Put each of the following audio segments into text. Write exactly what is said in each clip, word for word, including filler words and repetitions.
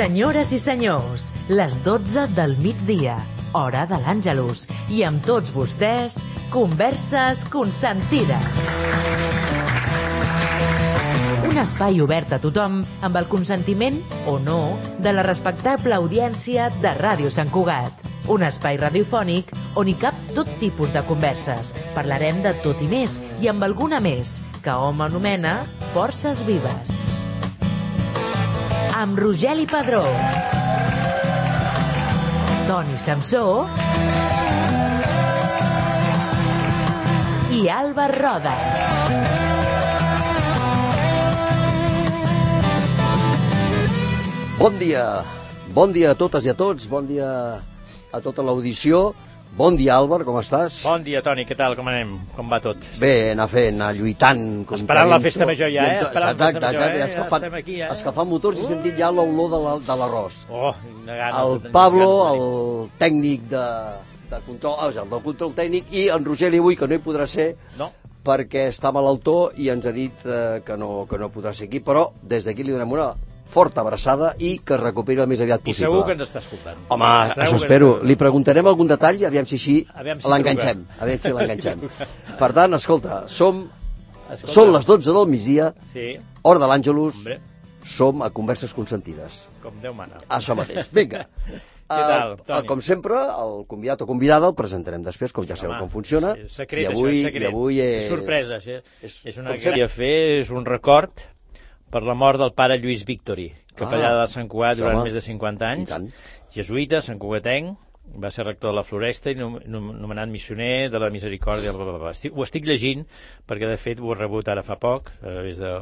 Senyores i senyors, les dotze del migdia, hora de l'Àngelus, i amb tots vostès, Converses Consentides. Un espai obert a tothom amb el consentiment, o no, de la respectable audiència de Ràdio Sant Cugat. Un espai radiofònic on hi cap tot tipus de converses. Parlarem de tot i més, i amb alguna més, que hom anomena Forces Vives. Amb Rogeli Padró, Toni Samsó i Alba Roda. Bon dia, bon dia a totes i a tots, bon dia a tota l'audició. Bon dia, Àlvar, com estàs? Bon dia, Toni, què tal, com anem? Com va tot? Bé, anar fent, anar lluitant. Esperant la festa major ja, eh? Esperant exacte, la festa major, exacte, eh? escalfant, ja aquí, eh? escalfant motors uh. i sentit ja l'olor de l'arròs. Oh, el Pablo, el tècnic de, de control, ah, el del control tècnic, i en Rogeli avui, que no hi podrà ser, no. perquè està malaltó i ens ha dit eh, que, no, que no podrà ser aquí, però des d'aquí li donem una forta abraçada i que es recuperi el més aviat possible. I segur que ens està escoltant. Home, segur això espero. Li preguntarem algun detall, aviam si així si l'enganxem. Aviam si l'enganxem. Per tant, escolta, som... Escolta. Són les dotze del migdia, sí. Hora de l'Àngelus, som a Converses Consentides. Com Déu mana. Això mateix. Vinga. Què tal, Toni? Com sempre, el convidat o convidada el presentarem després, com ja sabeu com funciona. És secret, I avui, això és secret. I avui és... és sorpresa, sí. És, és una gran a fer, és un record per la mort del pare Lluís Victori, capellà ah, de Sant Cugat durant home. més de cinquanta anys, jesuïta, santcugatenc, va ser rector de la Floresta i nomenat missioner de la Misericòrdia. Bla, bla, bla. Estic, ho estic llegint perquè, de fet, ho he rebut ara fa poc, a través de,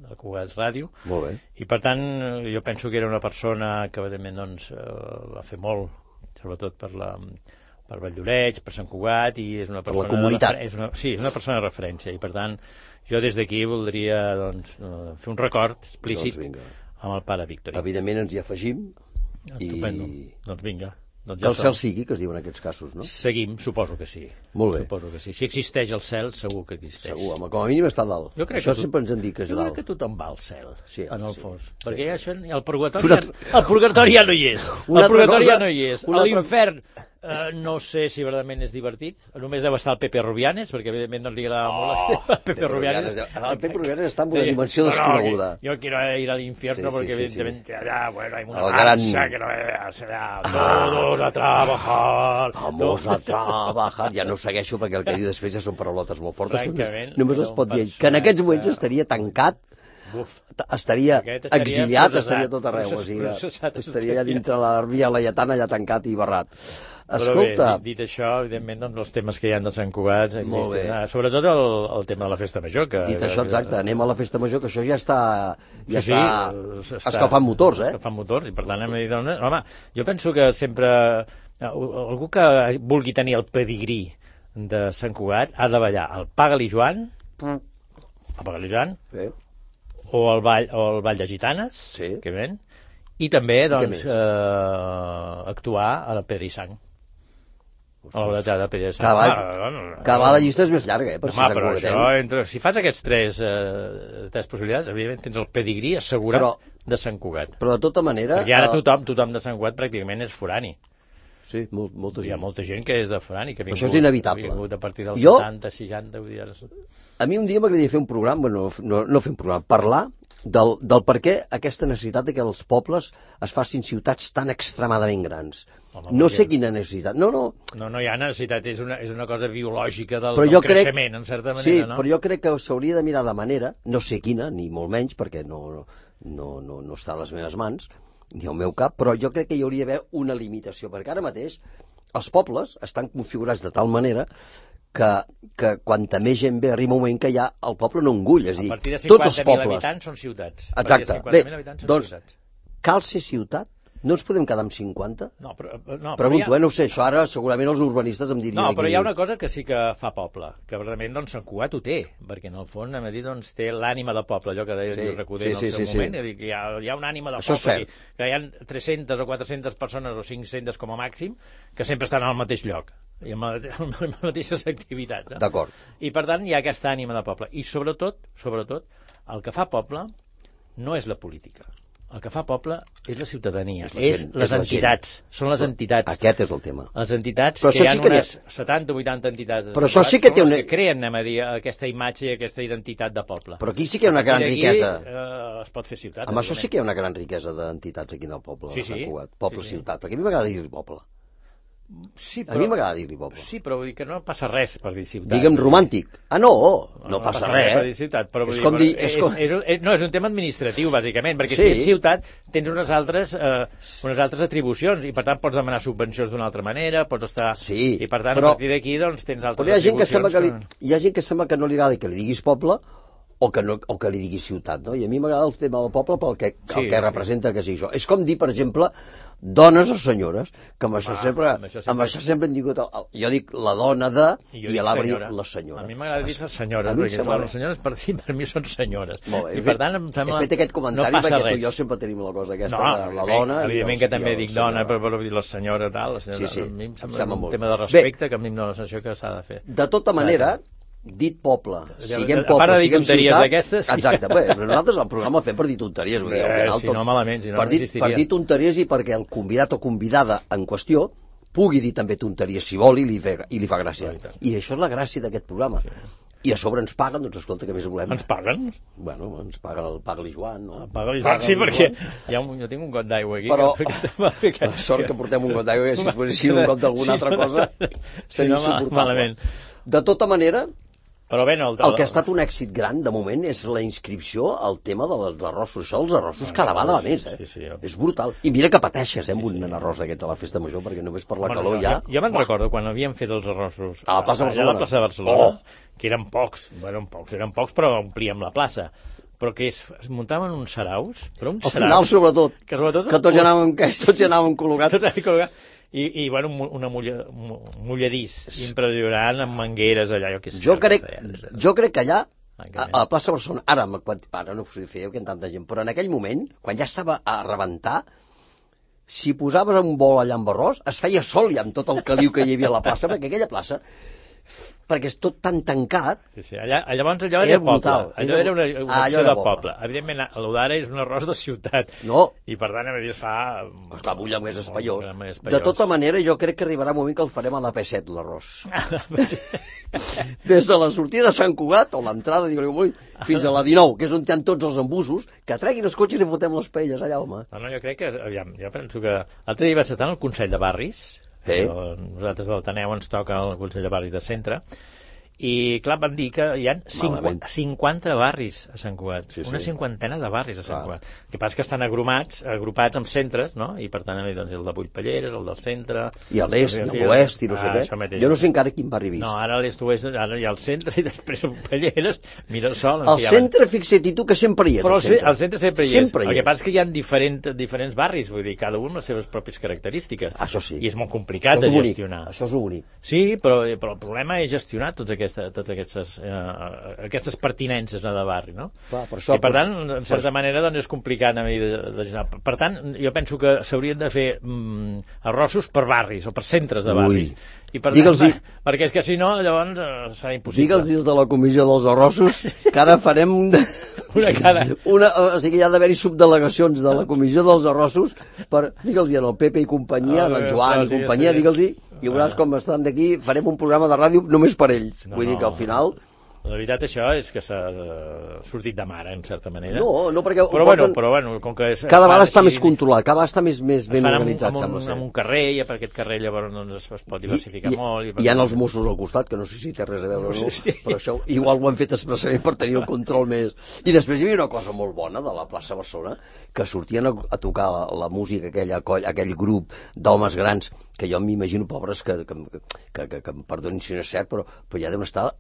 de Cugat Ràdio. Molt bé. I, per tant, jo penso que era una persona que, evidentment, doncs, va fer molt, sobretot per la... per Valldoreix, per Sant Cugat, i és una persona... Per la comunitat. De, és una, sí, és una persona de referència, i, per tant, jo des d'aquí voldria doncs, fer un record explícit doncs amb el pare Victori. Evidentment ens hi afegim. Estupendo. I... Doncs vinga. Doncs ja el cel sigui, que es diu en aquests casos, no? Seguim, suposo que sí. Molt bé. Suposo que sí. Si existeix el cel, segur que existeix. Segur, home, com a mínim està dalt. Jo crec això que sempre ens han dit que és jo dalt. Jo crec que tothom va al cel, sí, en el sí, fons. Sí. Perquè això, el purgatori, ja, el purgatori ja no hi és. El purgatori ja no hi és. L'infern... Uh, no sé si verdaderament és divertit. Només deu estar el Pepe Rubianes, perquè evidentment no li agrada oh, molt el Pepe Rubianes. El Pepe Rubianes està en una dimensió desconeguda. No, no, yo quiero ir al infierno sí, porque sí, sí, evidentemente sí. allá, bueno, hay una el marcha gran... que no veas, allá, todos a trabajar. Vamos a trabajar. Ja no ho segueixo perquè el que diu després ja són paraulotes molt fortes. Només, només es pot dir que en aquests moments estaria tancat. Uf. Estaria, estaria exiliat, processat, estaria tot arreu, processat, o sigui, processat, estaria allà dintre la via laietana, allà tancat i barrat. Escolta... Però bé, dit això, evidentment, doncs, els temes que hi ha de Sant Cugat, sobretot el, el tema de la festa major. Que, dit això, exacte, anem a la festa major, que això ja està, ja sí, està, sí, està escalfant motors, eh? Escalfant motors, i per tant hem de dir, doncs, home, jo penso que sempre, algú que vulgui tenir el pedigrí de Sant Cugat ha de ballar el Paga-li Joan, el Paga-li Joan, sí. o el ball, o el ball de gitanes, sí. que ven, i també, doncs, eh, actuar a la Pedra i Sang. A l'obra de teatre de Pedra i Sang. Cada, ah, no, no, cada vegada la llista és més llarga, eh? Per home, però això, entre, si fas aquests tres, eh, tres possibilitats, evidentment tens el pedigrí assegurat però, de Sant Cugat. Però de tota manera... Perquè ara tothom, tothom de Sant Cugat pràcticament és forani. Sí, molt, molta gent. Hi ha molta gent que és de forani, que ha vingut, això és inevitable. Ha vingut a partir dels jo, setanta, seixanta... Vull dir, a mi un dia m'agradaria fer un programa, bueno, no, no fer un programa, parlar del, del per què aquesta necessitat de que els pobles es facin ciutats tan extremadament grans. Home, no sé quina necessitat. No, no. No, no hi ha necessitat, és una, és una cosa biològica del, del creixement, crec, en certa manera, sí, no? Però jo crec que s'hauria de mirar de manera, no sé quina, ni molt menys, perquè no, no, no, no està a les meves mans, ni al meu cap, però jo crec que hi hauria d'haver una limitació, perquè ara mateix els pobles estan configurats de tal manera que, que quanta més gent ve arriba un moment que ja el poble no engull, és a dir, tots els pobles... A partir de cinquanta mil habitants són ciutats. Exacte. Bé, doncs, cal ser ciutat? No ens podem quedar amb cinquanta? No, però... No, Pregunto, però ha... eh, no ho sé, això ara segurament els urbanistes em dirien... No, però aquí... hi ha una cosa que sí que fa poble, que realment doncs Sant Cugat ho té, perquè en el fons, hem de dir, doncs té l'ànima de poble, allò que deia sí, Recoder sí, en el sí, seu sí, moment, sí. Que hi ha, hi ha una ànima de això poble, que, que hi ha tres-centes o quatre-centes persones o cinc-centes com a màxim, que sempre estan al mateix lloc, i amb, amb les mateixes activitats. No? D'acord. I per tant hi ha aquesta ànima de poble. I sobretot, sobretot, el que fa poble no és la política. el que fa poble és la ciutadania, és, és gent, les és entitats, són les entitats. Aquest és el tema. Les entitats, però que hi ha sí que unes setanta o vuitanta entitats de però això sí que té una... que creen, anem a dir, aquesta imatge i aquesta identitat de poble. Però aquí sí que hi ha una gran aquí, riquesa. Eh, es pot fer ciutat. Amb això sí que hi ha una gran riquesa d'entitats aquí en el poble, sí, sí. Sant Cugat. Poble-ciutat, sí, sí. Perquè a mi m'agrada dir poble. Sí, però, a mi m'agrada dir-li poble. Sí, però vull dir que no passa res per dir ciutat. Digue'm romàntic. Ah, no, no, no passa, passa res. res per dir ciutat, però és dir, com dir... És, és com... és, és, no, és un tema administratiu, bàsicament, perquè sí. si ets ciutat tens unes altres, eh, unes altres atribucions i per tant pots demanar subvencions d'una altra manera, pots estar... Sí, i per tant però... a partir d'aquí doncs, tens altres però hi ha gent atribucions. Que sembla que li... Hi ha gent que sembla que no li agrada que li diguis poble o que, no, o que li diguis ciutat, no? I a mi m'agrada el tema del poble pel que, sí, el que sí. representa que sigui això. És com dir, per exemple, dones o senyores, que amb això, ah, sempre, amb això sempre, amb això sempre hem dit... El, jo dic la dona de, i, i a l'arbre dic la senyora. A mi m'agrada dir les senyores, perquè sembla... les senyores per, per mi són senyores. Molt bé, I per tant, em sembla... He fet aquest comentari no perquè res. tu i jo sempre tenim la cosa aquesta no, de la dona... Evidentment que també dic dona, però per dir la senyora, tal, la senyora, sí, sí, a mi em em sembla un molt. tema de respecte Bé, que a mi em dóna la sensació que s'ha de fer. De tota manera... dit poble, siguem a poble, part de dir siguem tonteries ciutat... d'aquestes... Sí. Exacte, bé, nosaltres el programa el fem per dir tonteries, vull dir, al final... Si tot, no, malament, si no, per, dir, no existiria. per dir tonteries i perquè el convidat o convidada en qüestió pugui dir també tonteries si vol i li, fe, i li fa gràcia. Oh, i, I això és la gràcia d'aquest programa. Sí. I a sobre ens paguen, doncs escolta, què més volem? Ens paguen? Bueno, ens paga el Paga-li Joan, no? Paga-li Joan, sí, perquè hi ha un, jo tinc un got d'aigua aquí. Però, que estem... la sort que portem un got d'aigua, si es posessin un got d'alguna altra cosa, seria insuportable. De tota manera... Però bé, no, el, el que ha estat un èxit gran, de moment, és la inscripció al tema dels arrossos. Això dels arrossos no, cada vegada va més, eh? Sí, sí, jo... És brutal. I mira que pateixes, eh, amb sí, sí. un arròs d'aquests a la festa major, perquè només per la bueno, calor ja... Jo, jo me'n recordo quan havíem fet els arrossos a la plaça de Barcelona, a la plaça de Barcelona oh. que eren pocs, bueno, eren pocs, eren pocs, però omplíem la plaça. Però que es, es muntaven uns saraus, però uns al saraus... Al final, sobretot, que, sobretot que tots, anàvem, que tots hi anàvem col·locats. Tots hi col·locats. I, i bueno, una mulla, mulladís impressionant amb mangueres allà. Jo, que jo, crec, jo crec que allà, a, a la plaça Barcelona, ara, ara no us ho feia que en tanta gent, però en aquell moment, quan ja estava a rebentar, si posaves un bol allà amb arròs, es feia sol ja amb tot el caliu que hi havia a la plaça, perquè aquella plaça, perquè és tot tan tancat... Sí, sí. Allà, llavors allò era, era poble, brutal. allò era una, una ah, acció de poble. poble. Evidentment, allò d'ara és un arròs de ciutat, no. i per tant, a més, es fa... Esclar, bulla més espaiós. més espaiós. De tota manera, jo crec que arribarà un moment que el farem a la P set, l'arròs. Des de la sortida de Sant Cugat, o l'entrada, digue-li, fins a la dinou, que és on hi ha tots els embussos, que treguin els cotxes i fotem les paelles allà, home. No, no, jo crec que... Aviam, jo penso que... L'altre dia vaig estar al Consell de Barris, sí. Nosaltres del Taneu ens toca el Consell de Barris de Centre, i clar, van dir que hi ha cinquanta, cinquanta barris a Sant Cugat, sí, sí. una cinquantena de barris a Sant Cugat. El que passa que estan agrupats, agrupats amb centres, no? I per tant doncs, el de Vullpelleres, el del centre... I a l'est, i a l'oest, i no sé ah, què. Jo no sé encara quin barri vist. No, ara a l'est, oest, ara hi ha el centre, i després Vullpelleres, mira el sol... El centre, fixa't, i tu que sempre hi és, Però el centre. el centre sempre hi és. Sempre hi és. El que passa és que hi ha diferent, diferents barris, vull dir, cada un amb les seves pròpies característiques. Això sí. I és molt complicat de bonic. gestionar. Això és bonic. Sí, però, però el problema és gestionar tots aquestes, tots aquestes Uh, aquestes pertinences no, de barri, no? Clar, per això, i per pues, tant, en certa per... manera doncs és complicat a mi de, de, de, per tant, jo penso que s'haurien de fer mm, arrossos per barris o per centres de barris. Ui. I per tant, perquè és que si no llavors uh, serà impossible. Digue'ls des de la comissió dels arrossos que ara farem una cada una, o sigui, hi ha d'haver-hi subdelegacions de la comissió dels arrossos per, digue'ls en el Pepe i companyia, ah, el Joan i companyia, digue'ls i veuràs com estan d'aquí, farem un programa de ràdio només per ells. No, Vull dir que al final... La veritat això és que s'ha sortit de mare, en certa manera. No, no, perquè... Però, bueno, però bueno, com que... És, cada vegada està més controlat, cada vegada està més, més ben organitzat, amb un, sembla ser. Amb un carrer, i per aquest carrer llavors doncs, es, es pot diversificar I, molt. I hi ha els Mossos al costat, que no sé si té res a veure o no, sí. Però això igual ho han fet expressament per tenir el control més. I després hi havia una cosa molt bona de la plaça Barcelona, que sortien a, a tocar la, la música, aquella, aquell grup d'homes grans, que jo m'imagino, pobres, que, que, que, que, que em perdonin si no és cert, però, però ja deuen estar,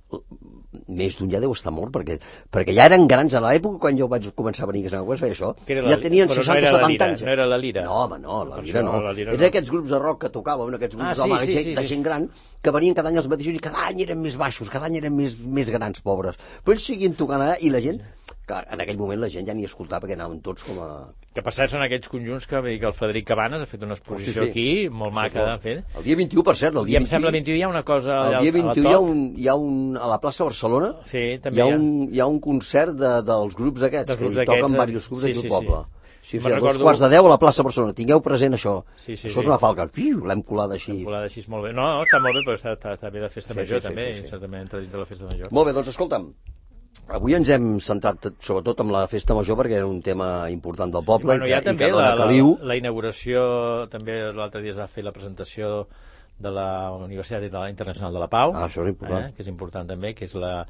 més d'un ja deu estar mort, perquè, perquè ja eren grans a l'època quan jo vaig començar a venir a Sant Cugat, feia això, ja tenien seixanta o setanta anys. No era la Lira? No, home, no, la Lira no. Eren aquests grups de rock que tocaven, aquests grups d'homes, de, de gent gran, que venien cada any els mateixos i cada any eren més baixos, cada any eren més, més grans, pobres. Però ells seguien tocant allà i la gent... Clar, en aquell moment la gent ja ni escoltava perquè anaven tots com a... Que per cert són aquells conjunts que, que el Frederic Cabanes ha fet una exposició oh, sí, sí. aquí, molt maca de fer. El dia vint-i-u, per cert, el dia I em sembla el vint-i-u hi ha una cosa allà el dia vint-i-u hi ha un, hi ha un... A la plaça Barcelona sí, també hi, ha un, hi ha un concert de, dels grups aquests, dels grups que hi toquen diversos grups sí, aquí al poble. Sí, sí. Sí, sí, a dos quarts de deu a la plaça Barcelona. Tingueu present això. Sí, sí, això és sí. una falca. Fiu, l'hem colada així. L'hem colada així molt bé. No, no, està molt bé, però està, està, està bé la festa sí, major, sí, també. Sí, sí, sí. També entra dins de la festa major. Molt bé, doncs escolta'm, avui ens hem centrat sobretot en la festa major perquè era un tema important del poble. I, bueno, hi ha i també que dona la, caliu. la, la inauguració, també l'altre dia es va fer la presentació de la Universitat Internacional de la Pau, ah, això és important. Eh, que és important també, que és la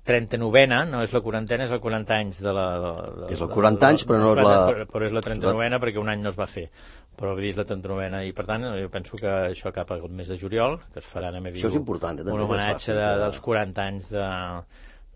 trenta-novena, no és la quarantena, és el quaranta anys de la... De, de, és el quaranta anys, però no és la... Però, però és la trenta-novena perquè un any no es va fer, però és la trenta-novena, i per tant jo penso que això cap al mes de juliol, que es farà, anem a dir, això és important, eh, un homenatge de, dels quaranta anys de...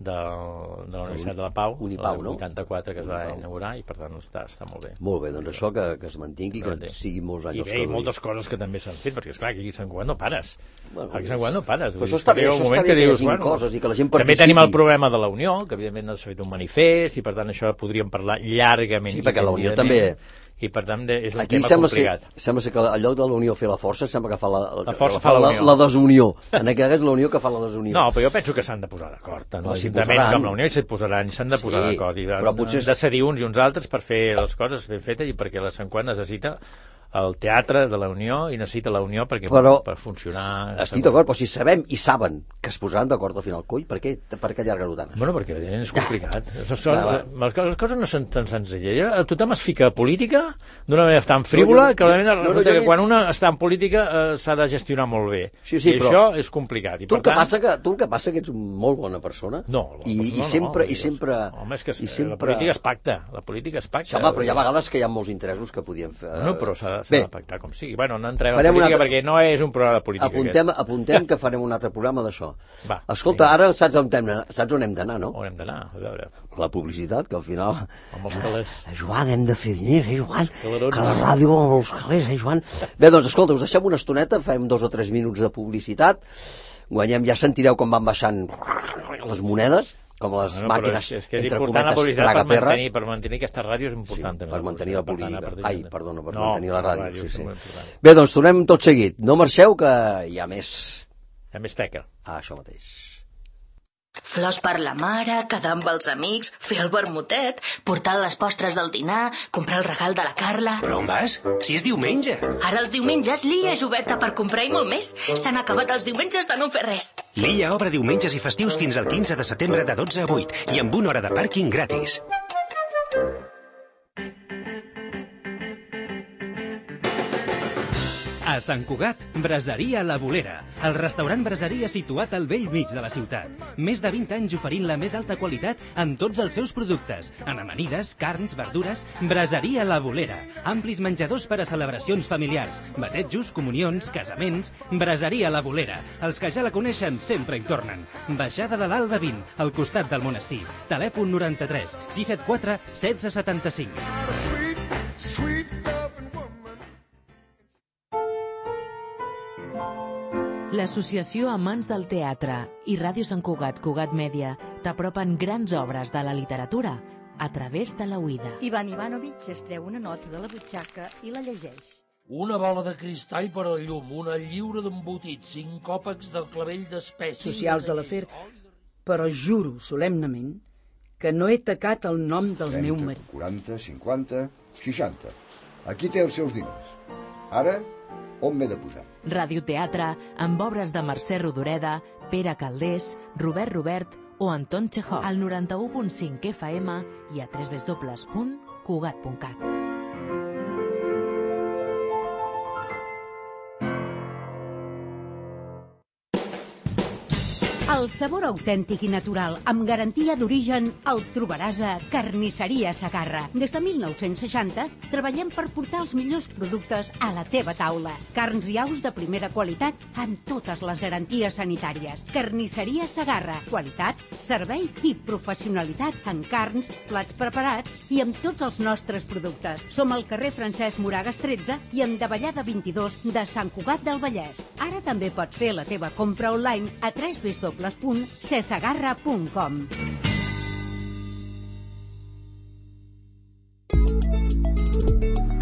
De, de la Universitat de la Pau, Unipau, el vuitanta-quatre, que es va Unipau. inaugurar, i per tant està, està molt bé. Molt bé, doncs això que, que es mantingui, que sigui molts anys. I bé, i moltes coses que també s'han fet, perquè esclar, aquí a Sant Cugat no pares. Bueno, aquí a Sant Cugat no pares. Però això està bé, això està bé que hi hagi coses i que la gent participi. També tenim el problema de la Unió, que evidentment s'ha fet un manifest, i per tant això podríem parlar llargament. Sí, perquè la Unió també... I per tant és un aquí tema sembla complicat. Ser, sembla ser que al lloc de la Unió fer la força sembla que fa la, la, força fa fa la, la, la desunió. En aquest cas és la Unió que fa la desunió. No, però jo penso que s'han de posar d'acord. Tant no, l'Ajuntament com la Unió s'hi posaran, s'han de posar sí, d'acord. I però potser... de cedir uns i uns altres per fer les coses ben fetes i perquè la Sant Cugat necessita el teatre de la Unió i necessita la Unió perquè però, per funcionar... Estic d'acord, però si sabem i saben que es posaran d'acord al final, coi, per què, per què allargar-ho tant? Bueno, perquè és complicat. Ja. Són, va, va. Les coses no són tan senzilles. Tothom es fica a política d'una manera tan frívola no, jo, que, no, no, resulta no, que quan una està en política eh, s'ha de gestionar molt bé. Sí, sí, I però això és complicat. I tu, per el que tant... passa que, tu el que passa que ets molt bona persona no, i, no, i sempre... No, i sempre home, és que i sempre... la política es pacta. La política es pacta. Sí, home, però hi ha vegades que hi ha molts interessos que podien fer... No, però s'ha de pactar com sigui. Bueno, no entrem farem a política altre... perquè no és un programa de política. Apuntem, apuntem que farem un altre programa d'això. Escolta, vinga. ara saps on hem, saps on hem d'anar, no? On hem d'anar, a veure. La publicitat, que al final... Amb els calés. Eh, Joan, hem de fer diners, eh, Joan? Que la ràdio amb els calés, eh, Joan? Bé, doncs, escolta, us deixem una estoneta, fem dos o tres minuts de publicitat, guanyem, ja sentireu com van baixant les monedes, com les bueno, màquines, és, és que és entre important la cometes, publicitat per mantenir, per mantenir aquesta ràdio és important. Sí, també, per mantenir la política. Per Ai, perdona, per no, mantenir la ràdio. ràdio sí, sí. Bé, doncs tornem tot seguit. No marxeu, que hi ha més... Hi ha més teca. Ah, això mateix. Flors per la mare, quedar amb els amics, fer el vermutet, portar les postres del dinar, comprar el regal de la Carla... Però on vas? Si és diumenge. Ara els diumenges l'Illa és oberta per comprar i molt més. S'han acabat els diumenges de no fer res. L'Illa obre diumenges i festius fins al quinze de setembre de dotze a vuit i amb una hora de pàrquing gratis. A Sant Cugat, Braseria La Bolera, el restaurant braseria situat al vell mig de la ciutat. Més de vint anys oferint la més alta qualitat en tots els seus productes. En amanides, carns, verdures, Braseria La Bolera. Amplis menjadors per a celebracions familiars, batejos, comunions, casaments... Braseria La Bolera. Els que ja la coneixen sempre hi tornen. Baixada de l'Alba vint, al costat del monestir. Telèfon noranta-tres sis set quatre setze setanta-cinc. L'Associació Amants del Teatre i Ràdio Sant Cugat, Cugat Mèdia, t'apropen grans obres de la literatura a través de la Oïda. Ivan Ivanovich es treu una nota de la butxaca i la llegeix. Una bola de cristall per al llum, una lliura d'embotit, cinc còpecs del clavell d'espècie... Socials de l'afer, però juro solemnament que no he tacat el nom del meu marit. quaranta, cinquanta, seixanta. Aquí té els seus diners. Ara, on m'he de posar? Radioteatre amb obres de Mercè Rodoreda, Pere Caldés, Robert Robert o Anton Chekhov. Al noranta-u punt cinc F M i a w w w punt cugat punt cat. El sabor autèntic i natural, amb garantia d'origen, el trobaràs a Carnisseria Segarra. Des de mil nou-cents seixanta treballem per portar els millors productes a la teva taula. Carns i aus de primera qualitat amb totes les garanties sanitàries. Carnisseria Segarra. Qualitat, servei i professionalitat en carns, plats preparats i amb tots els nostres productes. Som al carrer Francesc Moragas tretze i en Davallada vint-i-dos de Sant Cugat del Vallès. Ara també pots fer la teva compra online a w w w punt cesegarra punt com.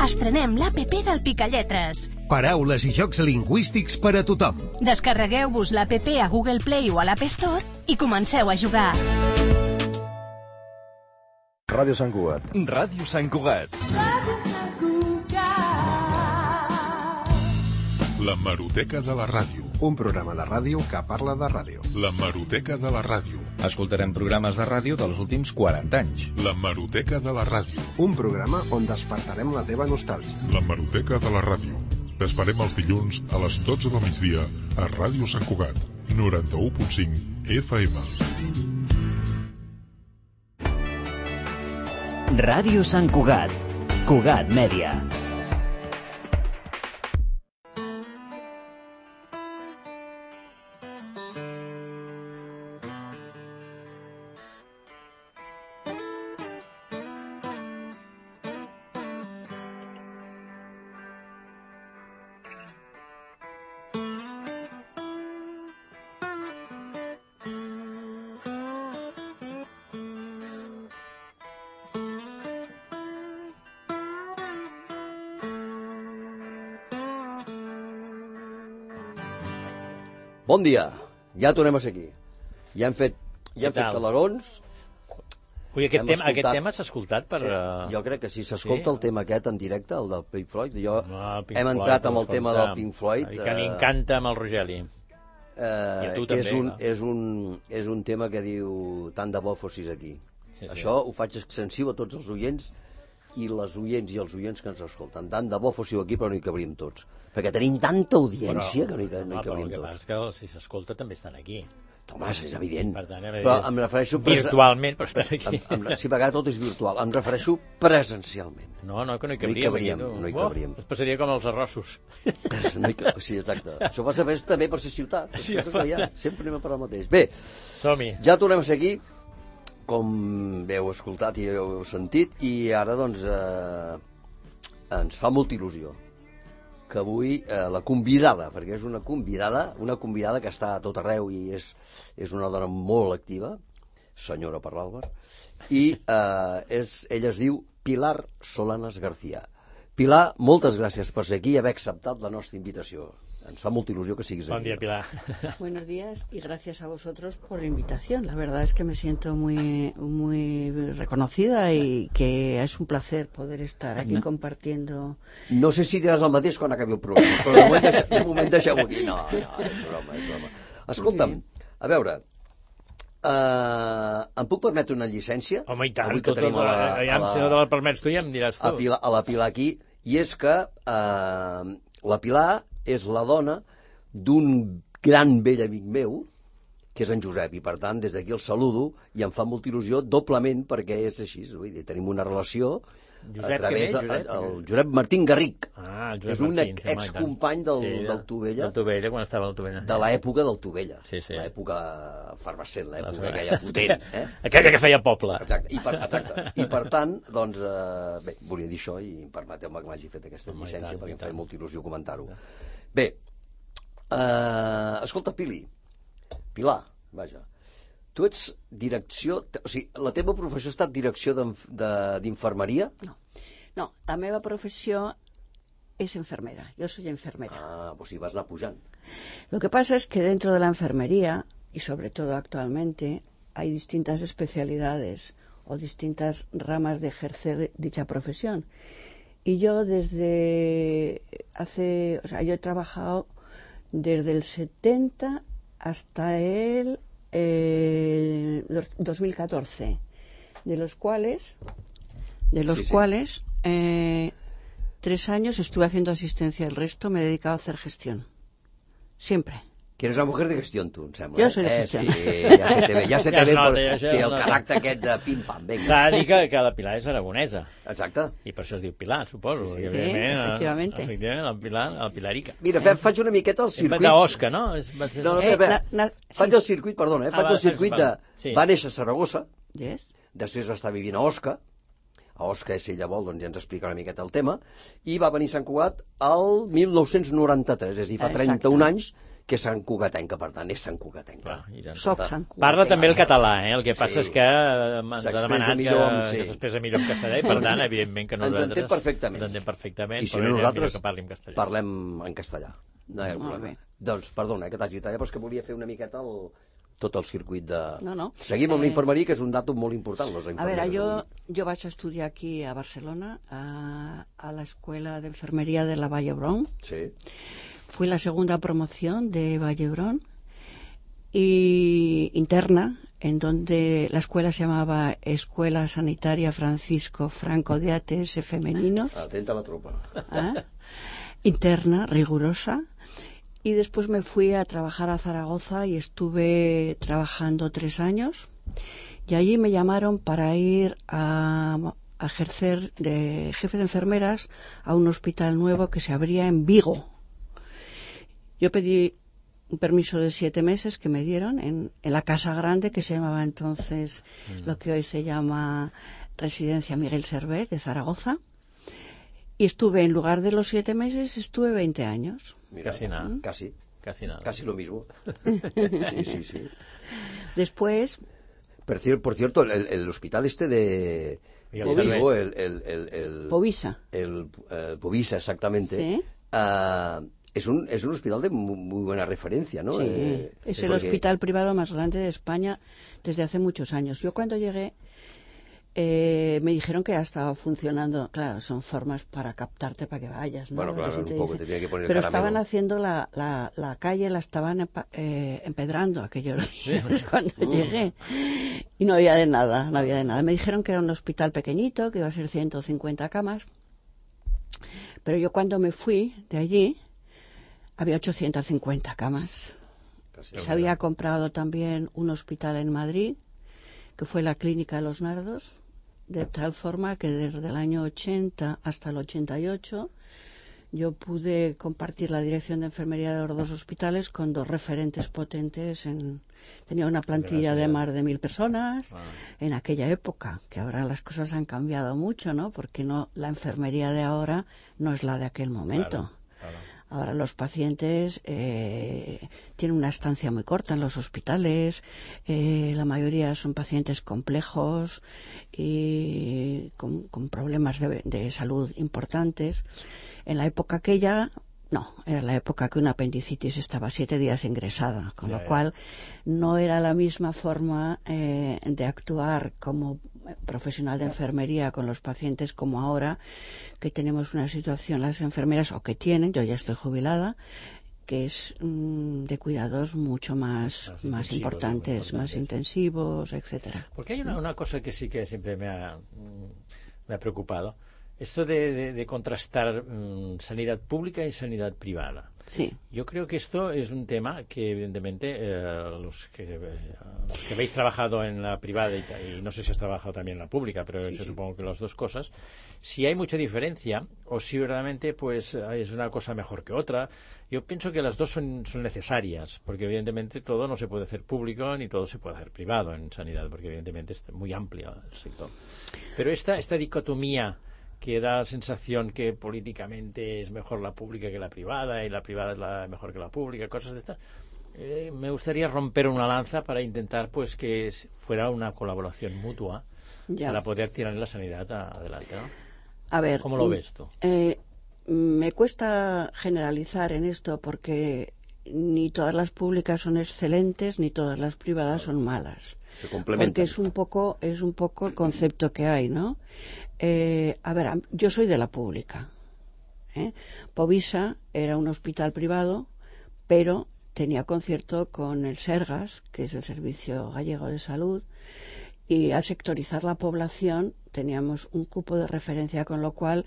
Estrenem l'A P P del Picalletres. Paraules i jocs lingüístics per a tothom. Descarregueu-vos l'A P P a Google Play o a l'App Store i comenceu a jugar. Ràdio Sant Cugat. Ràdio Sant Cugat. L'hemeroteca de la ràdio. Un programa de ràdio que parla de ràdio. L'hemeroteca de la ràdio. Escoltarem programes de ràdio dels últims quaranta anys. L'hemeroteca de la ràdio. Un programa on despertarem la teva nostàlgia. L'hemeroteca de la ràdio. T'esperem els dilluns a les dotze del migdia a Ràdio Sant Cugat, noranta-u punt cinc F M. Ràdio Sant Cugat, Cugat Mèdia. Bon dia, ja tornem a ser aquí. Ja hem fet, ja hem fet calarons. Ui, aquest, tema, aquest tema s'ha escoltat per... Eh, jo crec que sí, s'escolta sí? el tema aquest en directe, el del Pink Floyd. Jo no, Pink hem Floyd, entrat amb el tema del Pink Floyd. Que m'encanta amb el Rogeli. Eh, I a tu també. És un, és, un, és un tema que diu tant de bo fossis aquí. Sí, sí. Això ho faig extensiu a tots els oients i les oients i els oients que ens escolten. Tant de bo fóssiu aquí, però no hi cabríem tots. Perquè tenim tanta audiència però, que no hi, no hi cabríem tots. Però el que passa és que si s'escolta també estan aquí. Home, és evident. Per tant, però em refereixo... Virtualment, però estan aquí. Em, em, sí, a vegades tot és virtual. Em refereixo presencialment. No, no, que no hi cabríem. No hi cabríem. No hi cabríem. Oh, es passaria com els arrossos. No hi, sí, exacte. Això passa més també per ser ciutat. Sí, ja, sempre anem a per al mateix. Bé, som-hi. Ja tornem a ser aquí, com bé heu escoltat i heu sentit, i ara, doncs, eh, ens fa molta il·lusió que avui eh, la convidada, perquè és una convidada, una convidada que està a tot arreu i és, és una dona molt activa, senyora per l'Àlvar, i eh, és, ella es diu Pilar Solanas García. Pilar, moltes gràcies per ser aquí i haver acceptat la nostra invitació. Ens fa molta il·lusió que siguis aquí. Bon dia, Pilar. Buenos días y gracias a vosotros por la invitación. La verdad es que me siento muy, muy reconocida y que es un placer poder estar aquí no. compartiendo. No sé si diràs el mateix quan acabi el programa, però de moment, deixa, de moment deixeu aquí. No, no, és broma, és broma. Escolta'm, a veure, uh, em puc permetre una llicència? Home, i tant, tot, tot, la, a la, si no te la permets tu ja em diràs tu. A, Pilar, a la Pilar aquí, i és que uh, la Pilar és la dona d'un gran vell amic meu, que és en Josep, i per tant des d'aquí el saludo i em fa molta il·lusió doblement perquè és així, vull dir, tenim una relació Josep, a través de, Josep? el Josep Martín Garric. Ah, el Josep és un Martín, excompany del, sí, del Tovella, del Tovella, quan estava al Tovella, de l'època del Tovella, sí, sí. l'època efervescent, l'època aquella potent, eh? aquella que feia poble. Exacte, i per, exacte. I per tant, doncs, eh, bé, volia dir això i permeteu-me que m'hagi fet aquesta llicència perquè em feia molta il·lusió comentar-ho. Bé, uh, escolta, Pili, Pilar, vaja, tu ets direcció, o sigui, la teva professió ha estat direcció d'infermeria? No, no, la meva professió es enfermera, yo soy enfermera. Ah, pues sí, vas anar pujant. Lo que pasa es que dentro de la enfermería, y sobre todo actualmente, hay distintas especialidades o distintas ramas de ejercer dicha profesión. Y yo desde hace, o sea, yo he trabajado desde el setenta hasta el eh, dos mil catorce, de los cuales, de los sí, sí. cuales eh, tres años estuve haciendo asistencia, el resto me he dedicado a hacer gestión, siempre. Que eres una mujer de gestión, tu, em sembla. Jo soy de gestión. Eh, sí, ja se te ve, ja se te ve per, sí, el caràcter aquest de pim-pam. S'ha de dir que, que la Pilar és aragonesa. Exacte. I per això es diu Pilar, suposo. Sí, sí, sí efectivament. Efectivament, la Pilar, la Pilarica. Mira, faig una miqueta el circuit... D'Osca, no? No, no, espera, eh, faig el circuit, perdona, eh, faig el circuit de... Va néixer a Saragossa, després va estar vivint a Osca, a Osca, si ella vol, doncs ja ens explica una miqueta el tema, i va venir a Sant Cugat el mil nou-cents noranta-tres, és a dir, fa trenta-un anys que és Sant Cugatenca, per tant, és Sant Cugatenca. Ah, Soc Sant Cugatenca. Parla també el català, eh? El que passa sí. és que ens ha demanat que, sí. que s'expressa millor en castellà i, per tant, evidentment que nosaltres... Ens entén perfectament. Ens entén perfectament, I si no, nosaltres que parli en castellà. Parlem en castellà. No hi ha problema. Doncs, perdona, eh, que t'hagi tallat, però és que volia fer una miqueta el... tot el circuit de... No, no. Seguim amb eh... l'infermeria, que és un datum molt important. Les a veure, jo, jo vaig estudiar aquí a Barcelona, a, a l'escola d'enfermeria de la Vall d'Hebron. Sí. fui la segunda promoción de Vallebrón y interna, en donde la escuela se llamaba Escuela Sanitaria Francisco Franco de A T S Femeninos. Atenta a la tropa. ¿Ah? Interna, rigurosa. Y después me fui a trabajar a Zaragoza y estuve trabajando tres años. Y allí me llamaron para ir a, a ejercer de jefe de enfermeras a un hospital nuevo que se abría en Vigo. Yo pedí un permiso de siete meses que me dieron en, en la Casa Grande, que se llamaba entonces mm. lo que hoy se llama Residencia Miguel Servet de Zaragoza. Y estuve, en lugar de los siete meses, estuve veinte años. Mira, casi nada. Casi. Casi nada. Casi lo mismo. Sí, sí, sí. Después... Por, por cierto, el, el hospital este de... Vigo, el, el, el, el... Povisa. El, el Povisa, exactamente. Sí. Uh, es, un, es un hospital de muy, muy buena referencia, ¿no? Sí, eh, es sí, el porque... hospital privado más grande de España desde hace muchos años. Yo cuando llegué... Eh, me dijeron que ya estaba funcionando. Claro, son formas para captarte para que vayas, ¿no? Bueno, claro, un poco te tiene que poner el Pero caramelo. estaban haciendo la, la, la calle, la estaban empa, eh, empedrando aquellos días cuando llegué. Y no había de nada, no había de nada. Me dijeron que era un hospital pequeñito, que iba a ser ciento cincuenta camas. Pero yo cuando me fui de allí, había ochocientas cincuenta camas. Casi Se había comprado también un hospital en Madrid, que fue la Clínica de los Nardos, de tal forma que desde el año ochenta hasta el ochenta y ocho yo pude compartir la dirección de enfermería de los dos hospitales con dos referentes potentes. En, tenía una plantilla de más de mil personas. Wow. En aquella época, que ahora las cosas han cambiado mucho, ¿no? Porque no, la enfermería de ahora no es la de aquel momento. Claro, claro. Ahora los pacientes eh, tienen una estancia muy corta en los hospitales, eh, la mayoría son pacientes complejos y con, con problemas de, de salud importantes. En la época aquella, no, era la época que una apendicitis estaba siete días ingresada, con ya, lo ya. cual no era la misma forma eh, de actuar como profesional de enfermería con los pacientes como ahora, que tenemos una situación las enfermeras, o que tienen, yo ya estoy jubilada, que es mmm, de cuidados mucho más, más, más importantes, más intensivos, etcétera. Porque hay una, una cosa que sí que siempre me ha, me ha preocupado, esto de, de, de contrastar mmm, sanidad pública y sanidad privada. Sí. Yo creo que esto es un tema que, evidentemente, eh, los, que, eh, los que habéis trabajado en la privada y, y no sé si has trabajado también en la pública, pero sí, yo sí. supongo que las dos cosas, si hay mucha diferencia o si verdaderamente pues es una cosa mejor que otra, yo pienso que las dos son, son necesarias, porque evidentemente todo no se puede hacer público ni todo se puede hacer privado en sanidad, porque evidentemente es muy amplio el sector. Pero esta, esta dicotomía que da la sensación que políticamente es mejor la pública que la privada y la privada es la mejor que la pública, cosas de estas. Eh, me gustaría romper una lanza para intentar pues que fuera una colaboración mutua ya. para poder tirar la sanidad adelante, ¿no? A ver, ¿cómo lo ves tú? Eh, me cuesta generalizar en esto porque ni todas las públicas son excelentes ni todas las privadas son malas. Se complementan. Porque es un poco, es un poco el concepto que hay, ¿no? Eh, a ver, yo soy de la pública. ¿eh? Povisa era un hospital privado, pero tenía concierto con el Sergas, que es el Servicio Gallego de Salud, y al sectorizar la población teníamos un cupo de referencia, con lo cual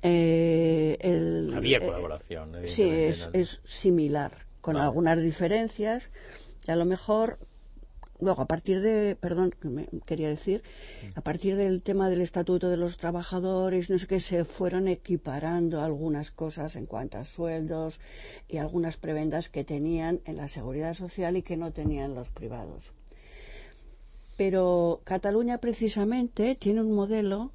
eh, el, había colaboración. Eh, sí, es, es similar, con no. algunas diferencias, y a lo mejor. Luego, a partir de, perdón, me quería decir, a partir del tema del Estatuto de los Trabajadores, no sé qué, se fueron equiparando algunas cosas en cuanto a sueldos y algunas prebendas que tenían en la Seguridad Social y que no tenían los privados. Pero Cataluña, precisamente, tiene un modelo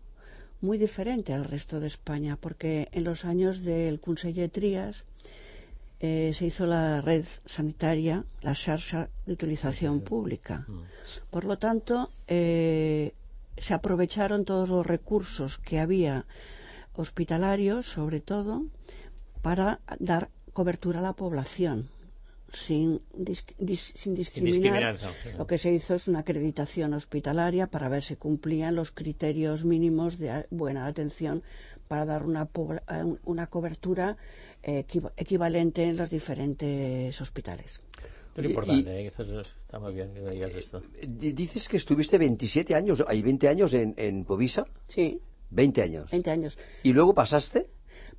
muy diferente al resto de España, porque en los años del Conseller Trias, Eh, se hizo la red sanitaria, la xarxa de utilización pública. Por lo tanto, eh, se aprovecharon todos los recursos que había hospitalarios, sobre todo, para dar cobertura a la población, sin, dis, dis, sin discriminar. Sin discriminar no, lo que se hizo es una acreditación hospitalaria para ver si cumplían los criterios mínimos de buena atención para dar una, una cobertura equivalente en los diferentes hospitales. Es importante, ¿eh? Está muy bien que digas esto. Dices que estuviste veintisiete años, hay veinte años en, en Povisa. Sí. veinte años. veinte años. ¿Y luego pasaste?